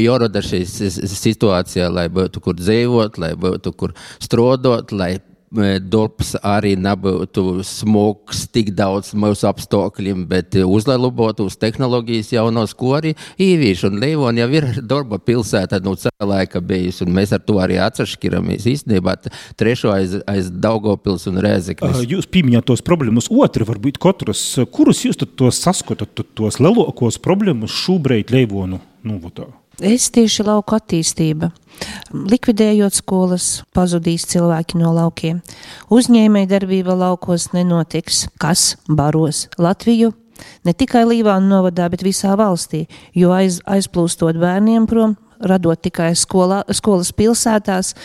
jārada šīs situācijā, lai būtu kur dzīvot, lai būtu kur strādāt, lai darbs arī nebūtu smogs tik daudz mūsu apstākļiem, bet uzlabotos tehnoloģijas jaunos, ko arī īvīši. Un Leivona jau ir darba pilsēta cilvēka bijusi, un mēs ar to arī atsašķiramies īstenībā trešo aiz Daugavpils un Rēzeknes. Jūs pieminējāt tos problēmas otri, varbūt katras. Kurus jūs tad tos saskatat, tos lielākos problēmas šobrīd Leivonu novadā? Es tieši lauku attīstība. Likvidējot skolas, pazudīs cilvēki no laukiem. Uzņēmēja darbība laukos nenotiks. Kas baros Latviju? Ne tikai Līvānu novadā, bet visā valstī, jo aizplūstot bērniem prom, radot tikai skolas pilsētās,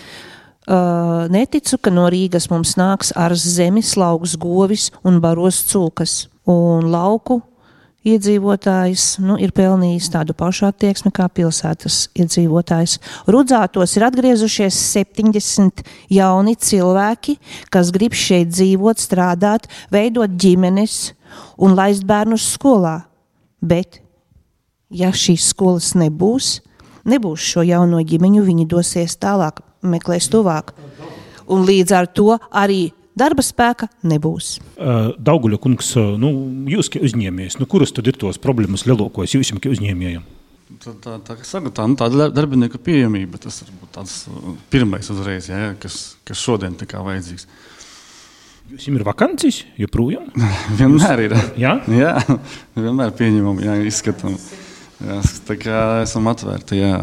neticu, ka no Rīgas mums nāks ars zemes, lauks govis un baros cūkas. Un lauku iedzīvotājs ir pelnījis tādu pašu attieksmi kā pilsētas iedzīvotājs. Rudzātos ir atgriezušies 70 jauni cilvēki, kas grib šeit dzīvot, strādāt, veidot ģimenes un laist bērnus skolā. Bet, ja šīs skolas nebūs šo jauno ģimeņu, viņi dosies tālāk, meklēs tuvāk. Un līdz ar to arī darba spēka nebūs. Dauguļa kungs, jūs kā uzņēmējs, kuras tad ir tos problēmas lielākos jūs kā uzņēmējiem? Tā darbinieku pieejamība, tas ir tāds pirmais uzreiz, kas šodien tā kā vajadzīgs. Jūs ir vakancijas, joprojām? Vienmēr ir. Jā? Jā, vienmēr pieņemam, izskatām. Jā, tā kā esam atvērti, jā.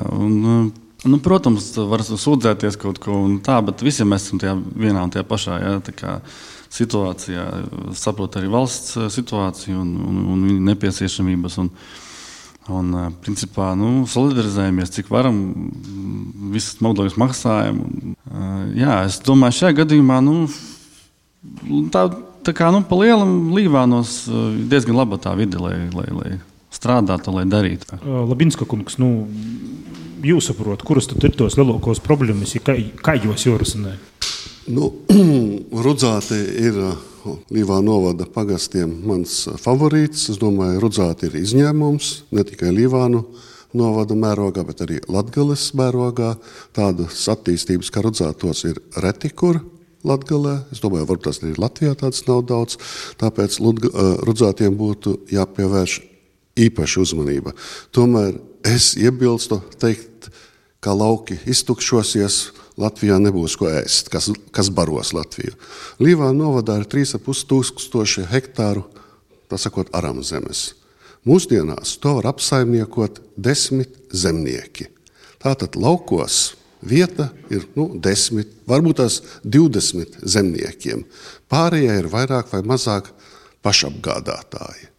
Protams, var sūdzēties kaut ko un tā, bet visiem mēs esam tajā vienā un tajā pašā, tā kā situācijā, saprot arī valsts situāciju un viņa nepieciešamības un principā, solidarizējamies, cik varam, visas nodokļus maksājam. Jā, es domāju, šajā gadījumā, tā kā, pa lielam Līvānos diezgan laba tā vide, lai strādātu, lai darītu. Labinska kungs, jūs saprot, kuras tad ir tos lielākos problēmas, kā jūs jūrasinē? Rudzāti ir Līvānu novada pagastiem mans favorīts. Es domāju, Rudzāti ir izņēmums, ne tikai Līvānu novada mērogā, bet arī Latgales mērogā. Tādas attīstības, kā Rudzātos, ir reti kur Latgalē. Es domāju, varbūt tas arī Latvijā tāds nav daudz. Tāpēc Rudzātiem būtu jāpievērš īpaša uzmanība. Tomēr es iebilstu teikt, ka lauki iztukšosies, Latvijā nebūs ko ēst, kas baros Latviju. Līvānu novadā ir 3500 hektāru, tā sakot, aramzemes. Mūsdienās to var apsaimniekot 10 zemnieki. Tātad laukos vieta ir 10, varbūt tās 20 zemniekiem. Pārējie ir vairāk vai mazāk pašapgādātāji.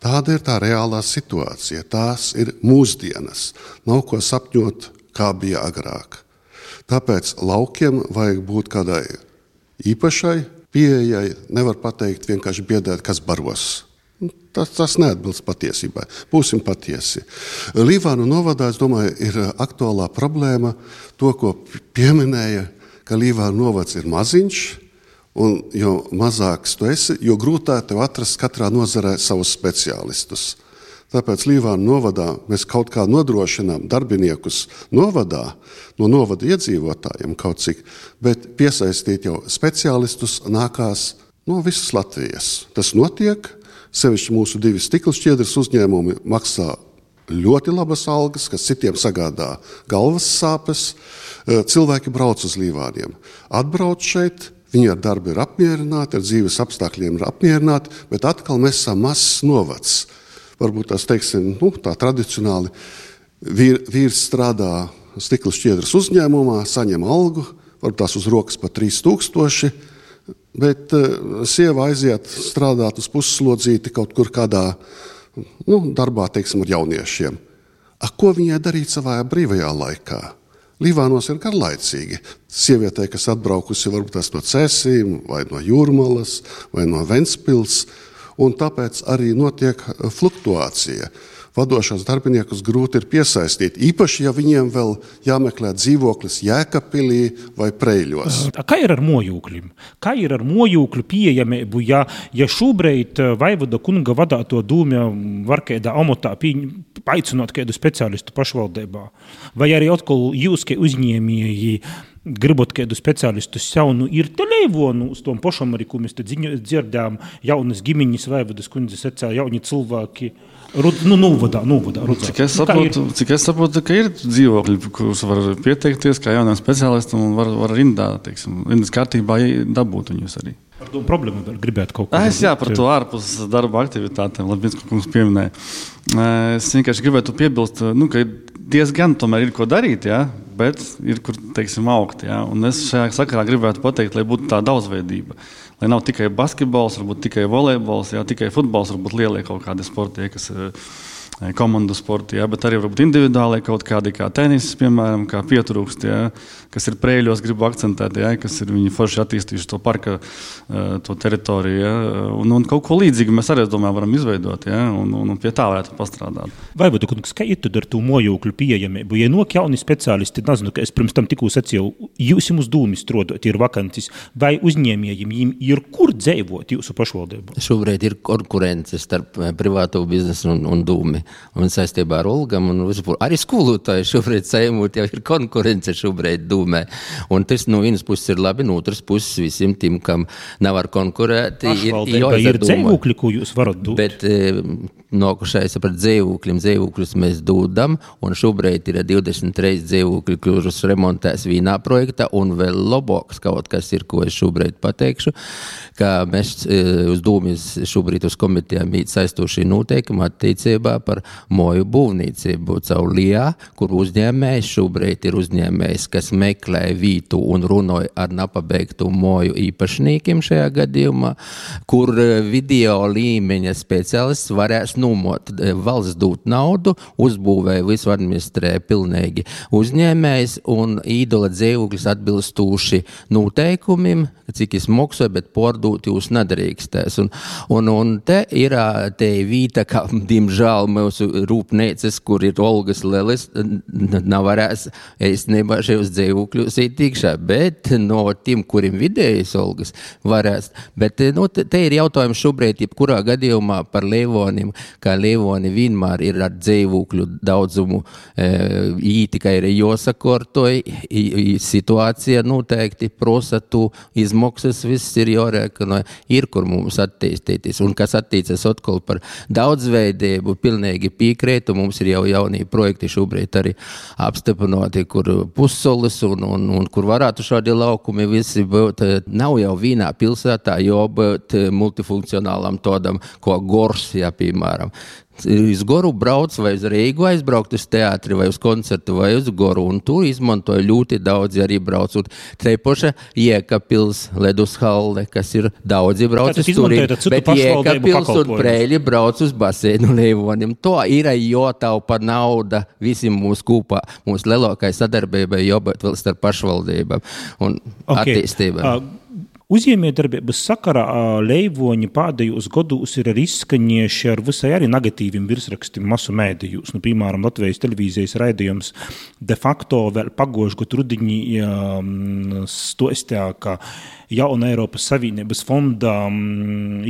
Tāda ir tā reālā situācija. Tās ir mūsdienas. Nav ko sapņot, kā bija agrāk. Tāpēc laukiem vajag būt kādai īpašai pieejai. Nevar pateikt vienkārši biedēt, kas baros. Tas neatbilst patiesībai. Būsim patiesi. Līvānu novadā, es domāju, ir aktuālā problēma to, ko pieminēja, ka Līvānu novads ir maziņš, un jo mazāks tu esi, jo grūtāk tev atrast katrā nozarē savus speciālistus. Tāpēc Līvānu novadā mēs kaut kā nodrošinām darbiniekus novadā, no novada iedzīvotājiem kaut cik, bet piesaistīt jau speciālistus nākās no visas Latvijas. Tas notiek. Sevišķi mūsu 2 stiklšķiedras uzņēmumi maksā ļoti labas algas, kas citiem sagādā galvas sāpes. Cilvēki brauc uz Līvāniem. Atbrauc šeit, viņi ar darbu ir apmierināti, ar dzīves apstākļiem ir apmierināti, bet atkal mēs esam mazs novads. Varbūt tās, teiksim, tā tradicionāli vīrs strādā stiklšķiedras uzņēmumā, saņem algu, varbūt tās uz rokas pa 3000, bet sieva aiziet strādāt uz pusslodzīti kaut kur kādā darbā, teiksim, ar jauniešiem. Ko viņai darīt savā brīvajā laikā? Līvānos ir garlaicīgi. Sievietē, kas atbraukusi varbūt tās no Cēsīm, vai no Jūrmalas, vai no Ventspils, un tāpēc arī notiek fluktuācija. Vadošos darbiniekus grūti ir piesaistīt, īpaši, ja viņiem vēl jāmeklē dzīvoklis Jēkabpilī vai Preiļos. Kā ir ar mojūkļiem? Kā ir ar mojūkļu pieejamību, ja šobrīd Vaivada kunga vadāto dūmja var kādā amatā aicināt kādu speciālistu pašvaldībā? Vai arī atkal jūs, kā uzņēmēji, gribat kādu speciālistu sev, ir te Leivonu uz tom pašam arī, ko mēs te dzirdām, jaunas ģimeņas Vaivadas kundzes secā, jauni cilvēki, novadā. Cik es saprotu, ka ir dzīvokļi, kurus var pieteikties kā jaunam speciālistam un var rindas kārtībā dabūt viņus arī. Par to problēmu gribētu kaut ko. Par to ārpus darba aktivitātēm, Labinska kungs pieminēja. Es vienkārši gribētu piebilst, ka diezgan tomēr ir ko darīt, bet ir kur, augt. Un es šajā sakarā gribētu pateikt, lai būtu tā daudzveidība. Lai nav tikai basketbols, varbūt tikai volejbols, tikai futbols, varbūt lielie kaut kādi sporti, kas komandu sporti, bet arī varbūt individuāli kaut kādi kā tenis, piemēram, kā pietrūkst, kas ir Preiļos, gribu akcentēt, kas ir viņi forši attīstījuši to parka, to teritoriju, un kaut ko līdzīgi mēs arī, es domāju, varam izveidot, un pie tā varētu pastrādāt. Vaivoda kungs, kā ir tad ar to mojokļu pieejamību? Ja nok jauni speciālisti, nezinu, ka es pirms tam tikko sacīju, jūs uz dūmi strādājat, ir vakantis, vai uzņēmējiem ir kur dzīvot jūsu pašvaldību? Šobrīd ir konkurence starp privāto biznesu un dūmi. Un saistībā ar Olgam un arī skolotāji šobrīd saimūt jau ir konkurence šobrīd dūmē. Un tas no vienas puses ir labi, no otras puses visiem tiem, kam nav ar konkurēt. Pašvaldība ir dzīvokļi, ko jūs varat dūt? Bet nokušais par dzīvokļus mēs dūdam, un šobrīd ir 23 dzīvokļi, kurus remontēs vienā projektā, un vēl labāks kaut kas ir, ko es šobrīd pateikšu, ka mēs uz dūmis šobrīd uz komitejām ir saistošie noteikumi attiecībā par moju būvniecību caur LIA, kur uzņēmējs šobrīd ir uzņēmējs, kas meklē vītu un runoja ar nepabeigtu moju īpašniekiem šajā gadījumā, kur video līmeņa speciālists varēs numot. Valsts dūt naudu, uzbūvē visu administrē pilnīgi uzņēmējs un īdola dzīvoklis atbilstūši noteikumiem, cik es moksoju, bet pordūt jūs nedarīkstēs. Un te ir te vīta, kā, diemžēl, mūsu rūpnīcas, kur ir Olgas Lelis, nav varēs īstenībā šajos dzīvokļos ītīkšā, bet no tiem, kuriem vidējas Olgas, varēs. Bet te ir jautājums šobrīd, jebkurā gadījumā par Leivoniem, kā Leivoni vienmēr ir ar dzīvokļu daudzumu tikai ir jāsakortoj, situācija noteikti prosa tu izmaksas, viss ir jārēkina, ir kur mums attīstīties. Un kas attīcas atkal par daudzveidību, pilnīgi piekrētu, mums ir jau jaunie projekti šobrīd arī apstiprināti, kur pussolis un kur varētu šādi laukumi visi būt. Nav jau vienā pilsētā jābūt multifunkcionālam tādam, ko Gors, piemēram. Uz Goru brauc vai uz Reigu aizbraukt uz teātri vai uz koncertu vai uz Goru, un tur izmantoja ļoti daudzi arī brauc. Un Treipoša Jēkabpils, Ledushalle, kas ir daudzi brauc uz turien, bet Jēkabpils un Preiļi brauc uz baseinu Leivonim. To ir jātaupa nauda visiem mūsu kūpā. Mūsu lielākai sadarbībai jābūt vēl starp pašvaldībām un attīstībām. Uzņēmējdarbības sakarā Leivoņi pēdējos gados ir arī izskaņieši ar visai arī negatīviem virsrakstiem masu mēdījos. Piemēram, Latvijas televīzijas raidījums de facto vēl pagošu gadu rudiņī stostā, ka jauna Eiropas Savienības fonda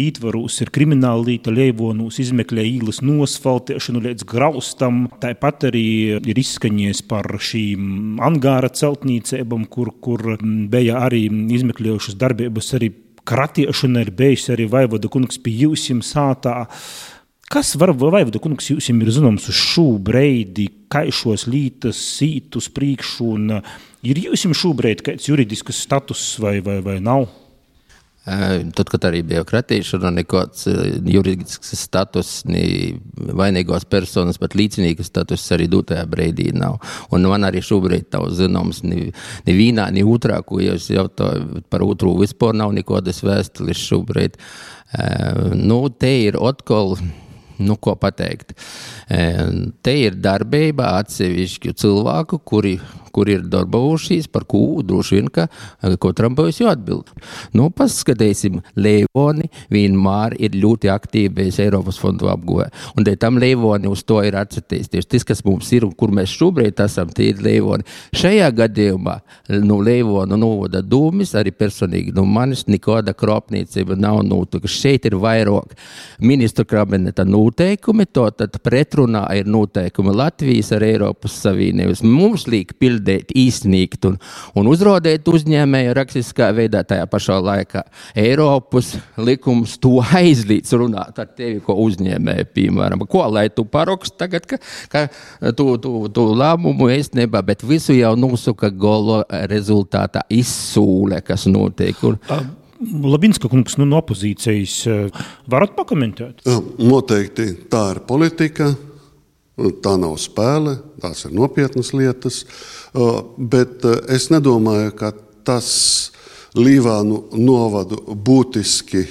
ītvarūs ir krimināla līta Leivonūs, izmeklē īlas nosfaltēšanu līdz graustam. Tāpat arī ir izskaņies par šīm angāra celtnīcībām, kur bija arī izmeklējušas darbības, arī kratiešana ir bijusi arī Vaivoda kungs pie jūsim sātā. Kas var Vaivoda kungs jūsim ir zināms uz šo breidi, kā šos lītas sīt uz priekšu, un ir jūsim šobrīd kāds juridisks status vai nav? Tad, kad arī bija kratīšana, nekāds juridisks status, ni vainīgos personas, bet līdzinīgas status arī dotajā breidī nav. Un man arī šobrīd nav zināms ni vienā, ni otrā, ko jūs jautāju par otru vispār nav nekādas vēstules šobrīd. Te ir atkal, ko pateikt. Te ir darbība atsevišķu cilvēku, kuri ir darbojušies, par ko droši vien, ka katram būs jāatbild. Paskatīsim, Leivoni vienmēr ir ļoti aktīvs Eiropas fondu apguvē. Un tam Leivoni uz to ir atsatīsties. Tas, kas mums ir un kur mēs šobrīd esam, tie ir Leivoni. Šajā gadījumā Leivonu novada dūmis, arī personīgi manis nekāda kropniecība nav notikusi. Šeit ir vairāk ministru kabineta noteikumi, tad pretrunā ir noteikumi Latvijas ar Eiropas Savienības. Mums liek pildīt īstenīgt un uzrādīt uzņēmēju rakstiskā veidā tajā pašā laikā. Eiropas likums to aizlīdz runāt ar tevi, ko uzņēmēju, piemēram. Ko, lai tu parakst tagad, ka tu lēmumu īstenībā, bet visu jau nosaka gala rezultātā izsūle, kas notiek. Labinska kungs, no opozīcijas varat pakomentēt? Noteikti tā ir politika. Tā nav spēle, tās ir nopietnas lietas, bet es nedomāju, ka tas Līvānu novadu būtiski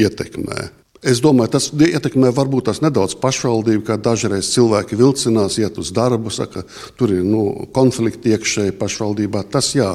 ietekmē. Es domāju, tas ietekmē varbūt tās nedaudz pašvaldību, kā dažreiz cilvēki vilcinās, iet uz darbu, saka, tur ir konflikti iekšēji pašvaldībā, tas jā.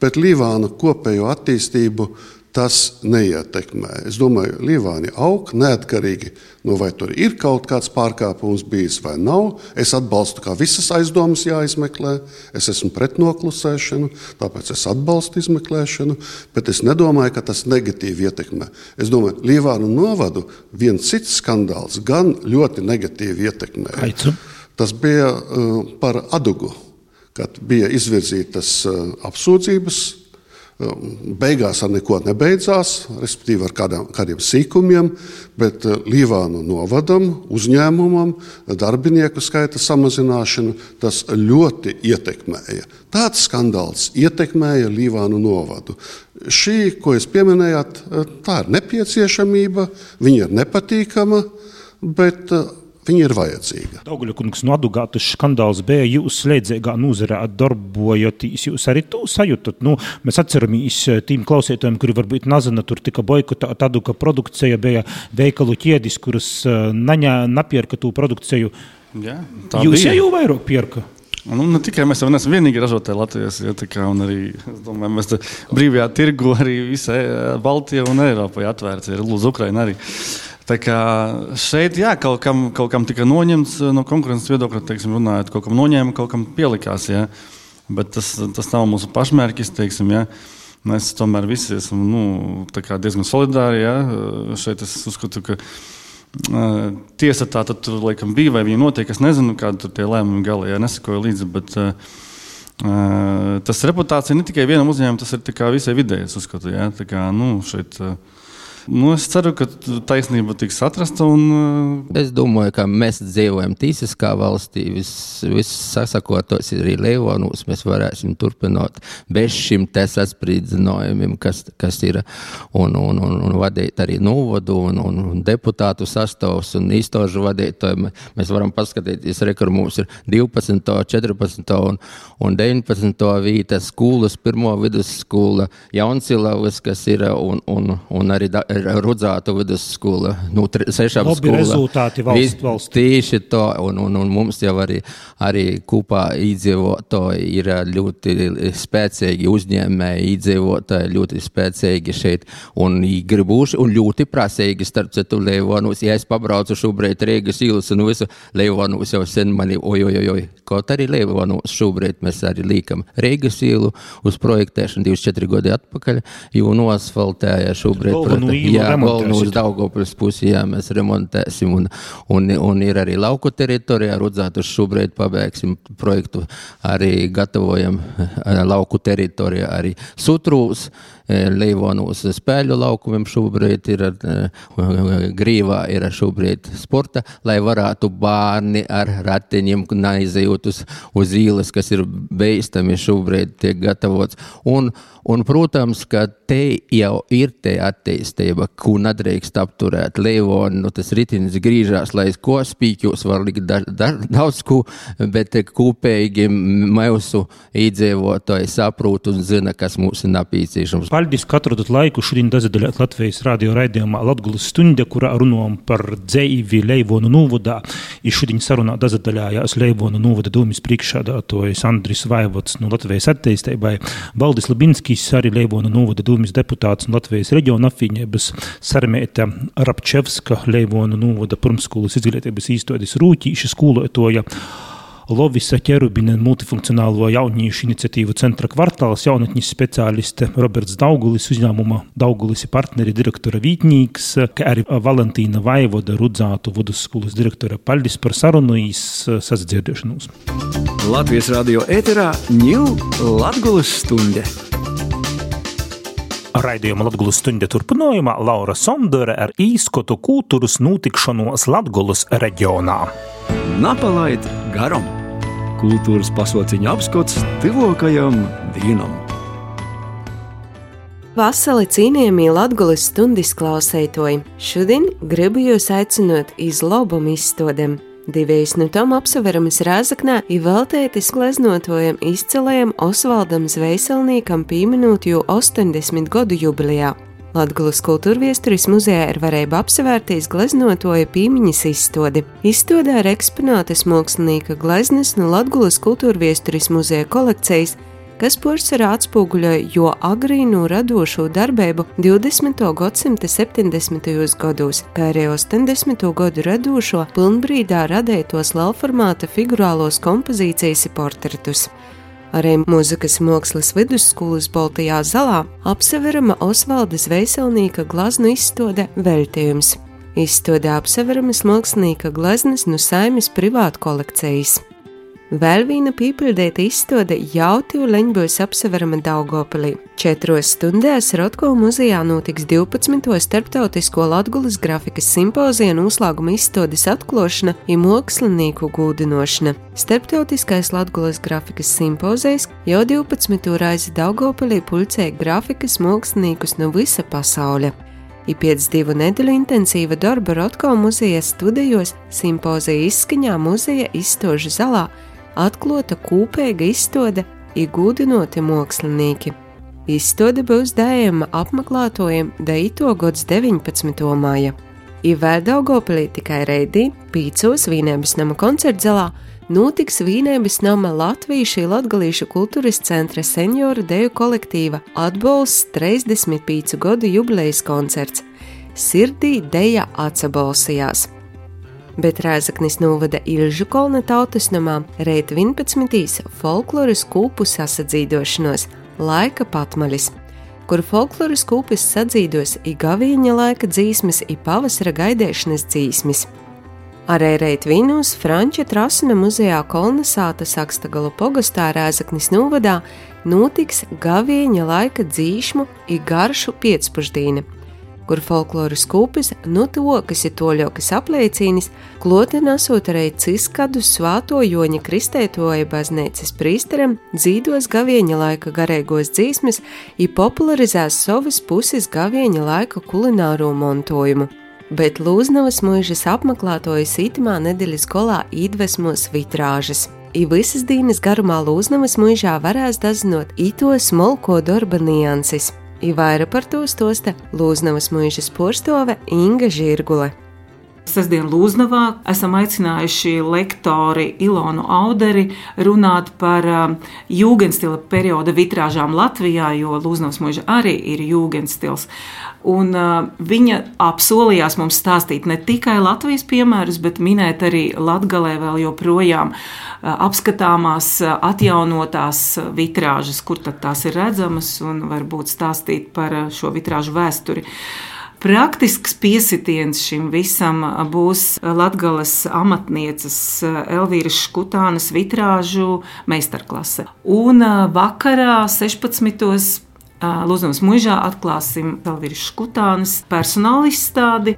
Bet Līvāna kopējo attīstību tas neietekmē. Es domāju, Līvāni aug neatkarīgi, vai tur ir kaut kāds pārkāpums bijis vai nav. Es atbalstu, kā visas aizdomas jāizmeklē. Es esmu pret noklusēšanu, tāpēc es atbalstu izmeklēšanu, bet es nedomāju, ka tas negatīvi ietekmē. Es domāju, Līvānu novadu viens cits skandāls gan ļoti negatīvi ietekmē. Aicu. Tas bija par Adugu, kad bija izvirzītas apsūdzības. Beigās ar neko nebeidzās, respektīvi ar kādiem sīkumiem, bet Līvānu novadam, uzņēmumam, darbinieku skaita samazināšanu, tas ļoti ietekmēja. Tāds skandāls ietekmēja Līvānu novadu. Šī, ko jūs pieminējāt, tā ir nepieciešamība, viņa ir nepatīkama, bet viņa ir vajadzīga. Dauguļa kungs, no Adugā tas skandāls bija, jūs slēdzīgā nozarē darbojoties, jūs arī to sajutat. Mēs atceramies tiem klausītājiem, kuri varbūt nezina, tur tika boikotēta Aduga produkcija, bija veikalu ķēdis, kuras napierka to produkciju. Jā, jūs jau vairāk pierka? Ne tikai mēs jau neesam vienīgi ražotāji Latvijas, un arī, es domāju, mēs brīvajā tirgu arī visai Baltijai un Eiropai atvērts, ir lūdzu Ukraina arī. Tā kā šeit, jā, kaut kam tika noņemts no konkurences viedokļa, teiksim, runājot, kaut kam noņēma, kaut kam pielikās, jā. Bet tas nav mūsu pašmērķis, teiksim, jā. Mēs tomēr visi esam, tā kā diezgan solidāri, jā. Šeit es uzskatu, ka tiesa tā tad tur, laikam, bija, vai viņa notiek, es nezinu, kāda tur tie lēmumi gali, jā, nesakoju līdzi, bet tas reputācija ne tikai vienam uzņēmumam, tas ir tā kā visai vidēji, es uzskatu, jā. Tā kā, šeit... es ceru, ka taisnība tiks atrasta. Es domāju, ka mēs dzīvojam tiesiskā valstī. Viss sasakotos arī Leivonūs. Mēs varēsim turpināt bez šim te sasprīdzinājumiem, kas ir, un vadīt arī novadu, un deputātu sastāvs, un īstožu vadītāju. Mēs varam paskatīties, kur mums ir 12., 14. un 19. vīta skolas, pirmo vidusskola, Jaunsilavas, kas ir, un arī Rudzātu vidusskola, 6 skola. Labi rezultāti valsts. Tieši to, un mums jau arī kopā iedzīvotāji ir ļoti spēcīgi uzņēmēji, iedzīvotāji ļoti spēcīgi šeit, un gribuši, un ļoti prasīgi, starp citu Leivonūs. Ja es pabraucu šobrīd Rīgas ielas un visu, Leivonūs jau sen mani, kaut arī Leivonūs šobrīd mēs arī līkam Rīgas ielu uz projektēšanu 24 gadi atpakaļ, jo noasfaltēja šobrīd. Jā, galvenu uz Daugavpils pusi, jā, mēs remontēsim, un ir arī lauku teritorijā, Rudzātu šobrīd pabeigsim projektu, arī gatavojam lauku teritorijā, arī Sutrūs, Leivonūs spēļu laukumiem šobrīd ir Grīvā, ir šobrīd sporta, lai varētu bērni ar ratiņiem neizejot uz īles, kas ir beistami šobrīd tiek gatavots. Un, protams, ka te jau ir te attīstība, ko nedrīkst apturēt. Leivoni, tas ritinis grīžās, lai ko spīķos var likt daudz ko, bet kopīgi mūsu iedzīvotāji saprot un zina, kas mums ir nepieciešams. Paldies, ka atradot laiku šodien dazaļāt Latvijas radio raidījumā Latgulas stunde, kurā runājam par dzeivi Leivonu novadā. I šodien sarunā dazaļājās Leivonu novada dūmis priekšsēdētājs Andris Vaivods no Latvijas attīstībai, Valdis Labinskis, arī Leivonu novada dūmis deputāts un Latvijas reģiona apvienības, Sarmēta Rapčevska, Leivonu novada pirmsskolas izglītības īstotis rūķīša skolotoja, Lovisa Ķerubina multifunkcionālo jauniešu iniciatīvu centra kvartāls, jaunatņas speciāliste Roberts Daugulis, uzņēmuma Daugulis partneri direktora vītnīgs, kā arī Valentīna Vaivoda, Rudzātu vidusskolas direktora. Paldies par sarunu, sasadzirdēšanos. Latvijas radio ēterā New Latgulas stunde. Raidījuma Latgulas stunde turpinājumā Laura Sondere ar īskotu kultūras notikšanos Latgulas reģionā. Napalaid garam! Kultūras pasauciņa apskats tuvākajam dienam. Vasali cienījamie Latgulas stundas klausētoji, šodien gribu jūs aicinot iz lobumu izstādēm. Divējs no tom apseveramas Rāzaknē ir veltētis gleznotojam izcilajam Osvaldam Zvejselniekam pieminot jau 80 gadu jubilejā. Latgulas kultūrviesturis muzejā ir varēja apsevērtīs gleznotoja pīmiņas izstodi. Izstodē ir eksponētas mākslinieka gleznas no Latgulas kultūrviesturis muzeja kolekcijas, kas porcelānā atspoguļoja jo agrīnu radošo darbību 20. gadsimta 70. gados, kā arī 80. gadu radošo pilnbrīdā radētos lielformāta figurālos kompozīcijas portretus. Arī Mūzikas mākslas vidusskolas Baltajā zalā apseverama Osvalda Zvejselnieka glaznu izstode Veltījums. Izstodē apseveramas mākslinieka gleznas no Saeimas privātu kolekcijas. Vēl viena pīpildēta izstode Jautiu leņbūs apseverama Daugavpilī. 4 stundās Rotko muzejā notiks 12. starptautisko Latgulas grafikas simpozija noslēguma izstodes atklāšana un mākslinieku gūdinošana. Starptautiskais Latgulas grafikas simpozijas jau 12. reizi Daugavpilī pulcēja grafikas māksliniekus no visa pasauļa. I pēc 2 nedēļu intensīva darba Rotko muzeja studijos simpozija izskaņā muzeja izstožu zalā atklāta kopīga izstode i gūdinoti mākslinieki. Izstode būs dējama apmeklētojiem 9. gads 19. māja. I vēl Daugavpilī tikai reidī 5. Vīnēbas nama koncertzalā notiks Vīnēbas nama Latvīšu latgalīšu kultūras centra senioru deju kolektīva atbalsts 35 gadu jubilejas koncerts. Sirdī deja atsabalsījās. Bet Rēzaknis novada Ilžu kolna tautas namā reit 11. folkloras kūpu sasadzīdošanos Laika patmaļis, kur folkloras kūpis sadzīdos i gavīņa laika dzīsmes i pavasara gaidēšanas dzīsmes. Arī reit Vīnūs Franča Trasuna muzejā Kolnasāta Sakstagalu pogastā Rēzaknis novadā notiks gavīņa laika dzīšmu i garšu piecpuždīne, kur folkloras kūpis nutuokas i toļokas apliecīnis, kloti nesot arī ciskadu svāto Joņa Kristētoja baznīcas prīsteram, dzīdos gavieņa laika garīgos dzīsmes i popularizēs savas puses gavieņa laika kulināro montojumu. Bet Lūznavas mūžas apmeklētojas itamā nedēļas golā iedvesmos vitrāžas. I visas dīnas garumā Lūznavas mūžā varēs dazinot ito smolko darba nianses. I vaira par to stosta Lūznavas mūžas porstove Inga Žirgule. Sestdien Lūznavā esam aicinājuši lektori Ilonu Auderi runāt par jūgenstila perioda vitrāžām Latvijā, jo Lūznavas mūža arī ir jūgenstils. Un viņa apsolījās mums stāstīt ne tikai Latvijas piemērus, bet minēt arī Latgalē vēl joprojām apskatāmās, atjaunotās vitrāžas, kur tad tās ir redzamas, un varbūt stāstīt par šo vitrāžu vēsturi. Praktisks piesitiens šim visam būs Latgales amatnieces Elvīras Škutānas vitrāžu meistarklase. Un vakarā 16. Lūznavas mūžā atklāsim Elvīras Škutānas personāla izstādi.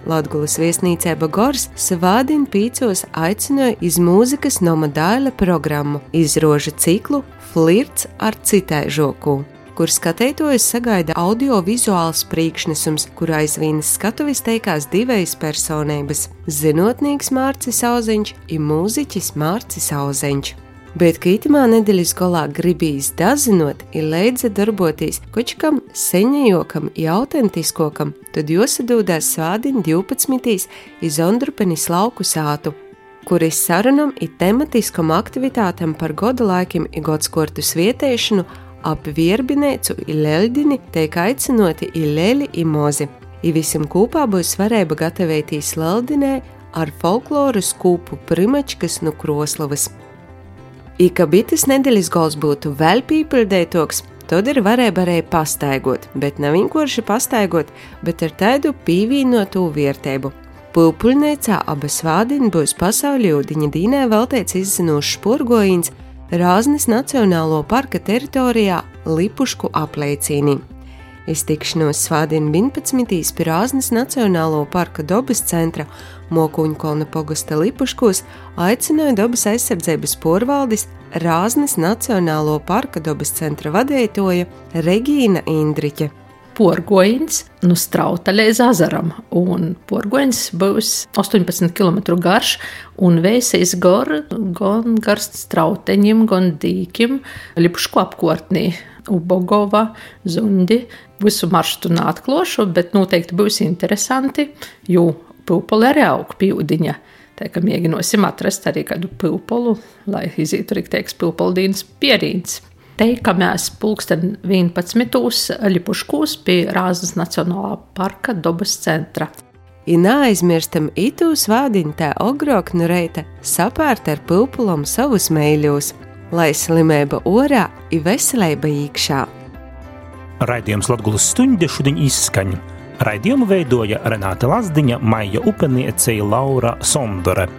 Latgulas viesnīcēba Gors svādien 5 aicināja iz mūzikas noma daļa programmu izrožu ciklu Flirts ar citaižoku, kur skatītājus sagaida audiovizuāls priekšnesums, kurā aizvīnas skatuves teikās 2 personības – zinotnieks Mārcis Auzeņš un mūziķis Mārcis Auzeņš. Bet, ka itamā nedēļas golā gribīs dazinot ir leidza darboties kočkam seņajokam i autentiskokam, tad josadūdās svādien 12. iz Ondrupenis lauku sātu, kuris sarunam i tematiskom aktivitātam par goda laikim i godskortu svietēšanu ap Vierbinēcu i Leļdini teik aicinoti i Leli i Mozi. I visam kūpā būs varēba gatavētīs Leļdinē ar folkloras kūpu primačkas no Kroslavas. I ka bites nedēļas gols būtu vēl pīpildētoks, tad ir varēja arī pastaigot, bet nav vienkārši pastaigot, bet ar tādu pīvīnotu vērtību. Pulpuļniecā abas svādien būs pasauļūdiņa dīnē veltēts izzinošs sporgojīns Rāznes Nacionālo parka teritorijā Lipušku apleicīnī. Iztikšanos svādien 11. pie Rāznes Nacionālo parka dobas centra Mokuņkolna pogasta Lipuškos aicināja dobas aizsardzības porvaldis Rāznes Nacionālo parka dobas centra vadētoja Regīna Indriķe. porgoņš no Strauta līdz Azaram. Un porgoņš būs 18 km garš un vēsīs gan Strauteņiem, gan Dīkim, Lipušku apkārtnī. Ubogova, Zundi, visu maršrutu neatklāšu, bet noteikti būs interesanti, jo pūpoli arī aug pīvdiņa. Tā kā mēģināsim atrast arī kādu pūpolu, lai izītu arī teiks pūpoldīnas pierīns. Teikamies 11. Lipuškūs pie Rāznas Nacionālā parka dabas centra. I neaizmirstam itū svādiņu tā ogrok no reita sapērt ar pūpolom savus meiļos, lai slimība orā I veselība īkšā. Raidījums Latgulas stunde šodien izskaņ. Raidījumu veidoja Renāte Lazdiņa, Maija Upeniece, Laura Sondore.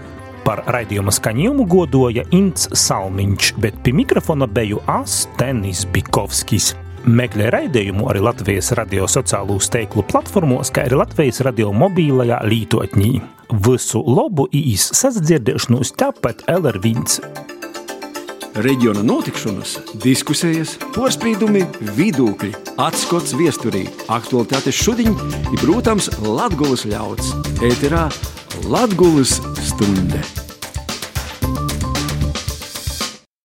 Par raidījuma skaņījumu godoja Ints Salmiņš, bet pie mikrofona beju Tenis Bikovskis. Meklē raidījumu arī Latvijas radio sociālo teiklu platformos, kā arī Latvijas radio mobīlajā lītotņī. Visu labu īs sasdzirdēšanos tāpat LR1. Reģiona notikšanas, diskusijas, porspīdumi, vidūkļi, atskots viesturī, aktualitātes šodien ir, protams, Latgulas ļauds. Ēterā Latgulas stunde.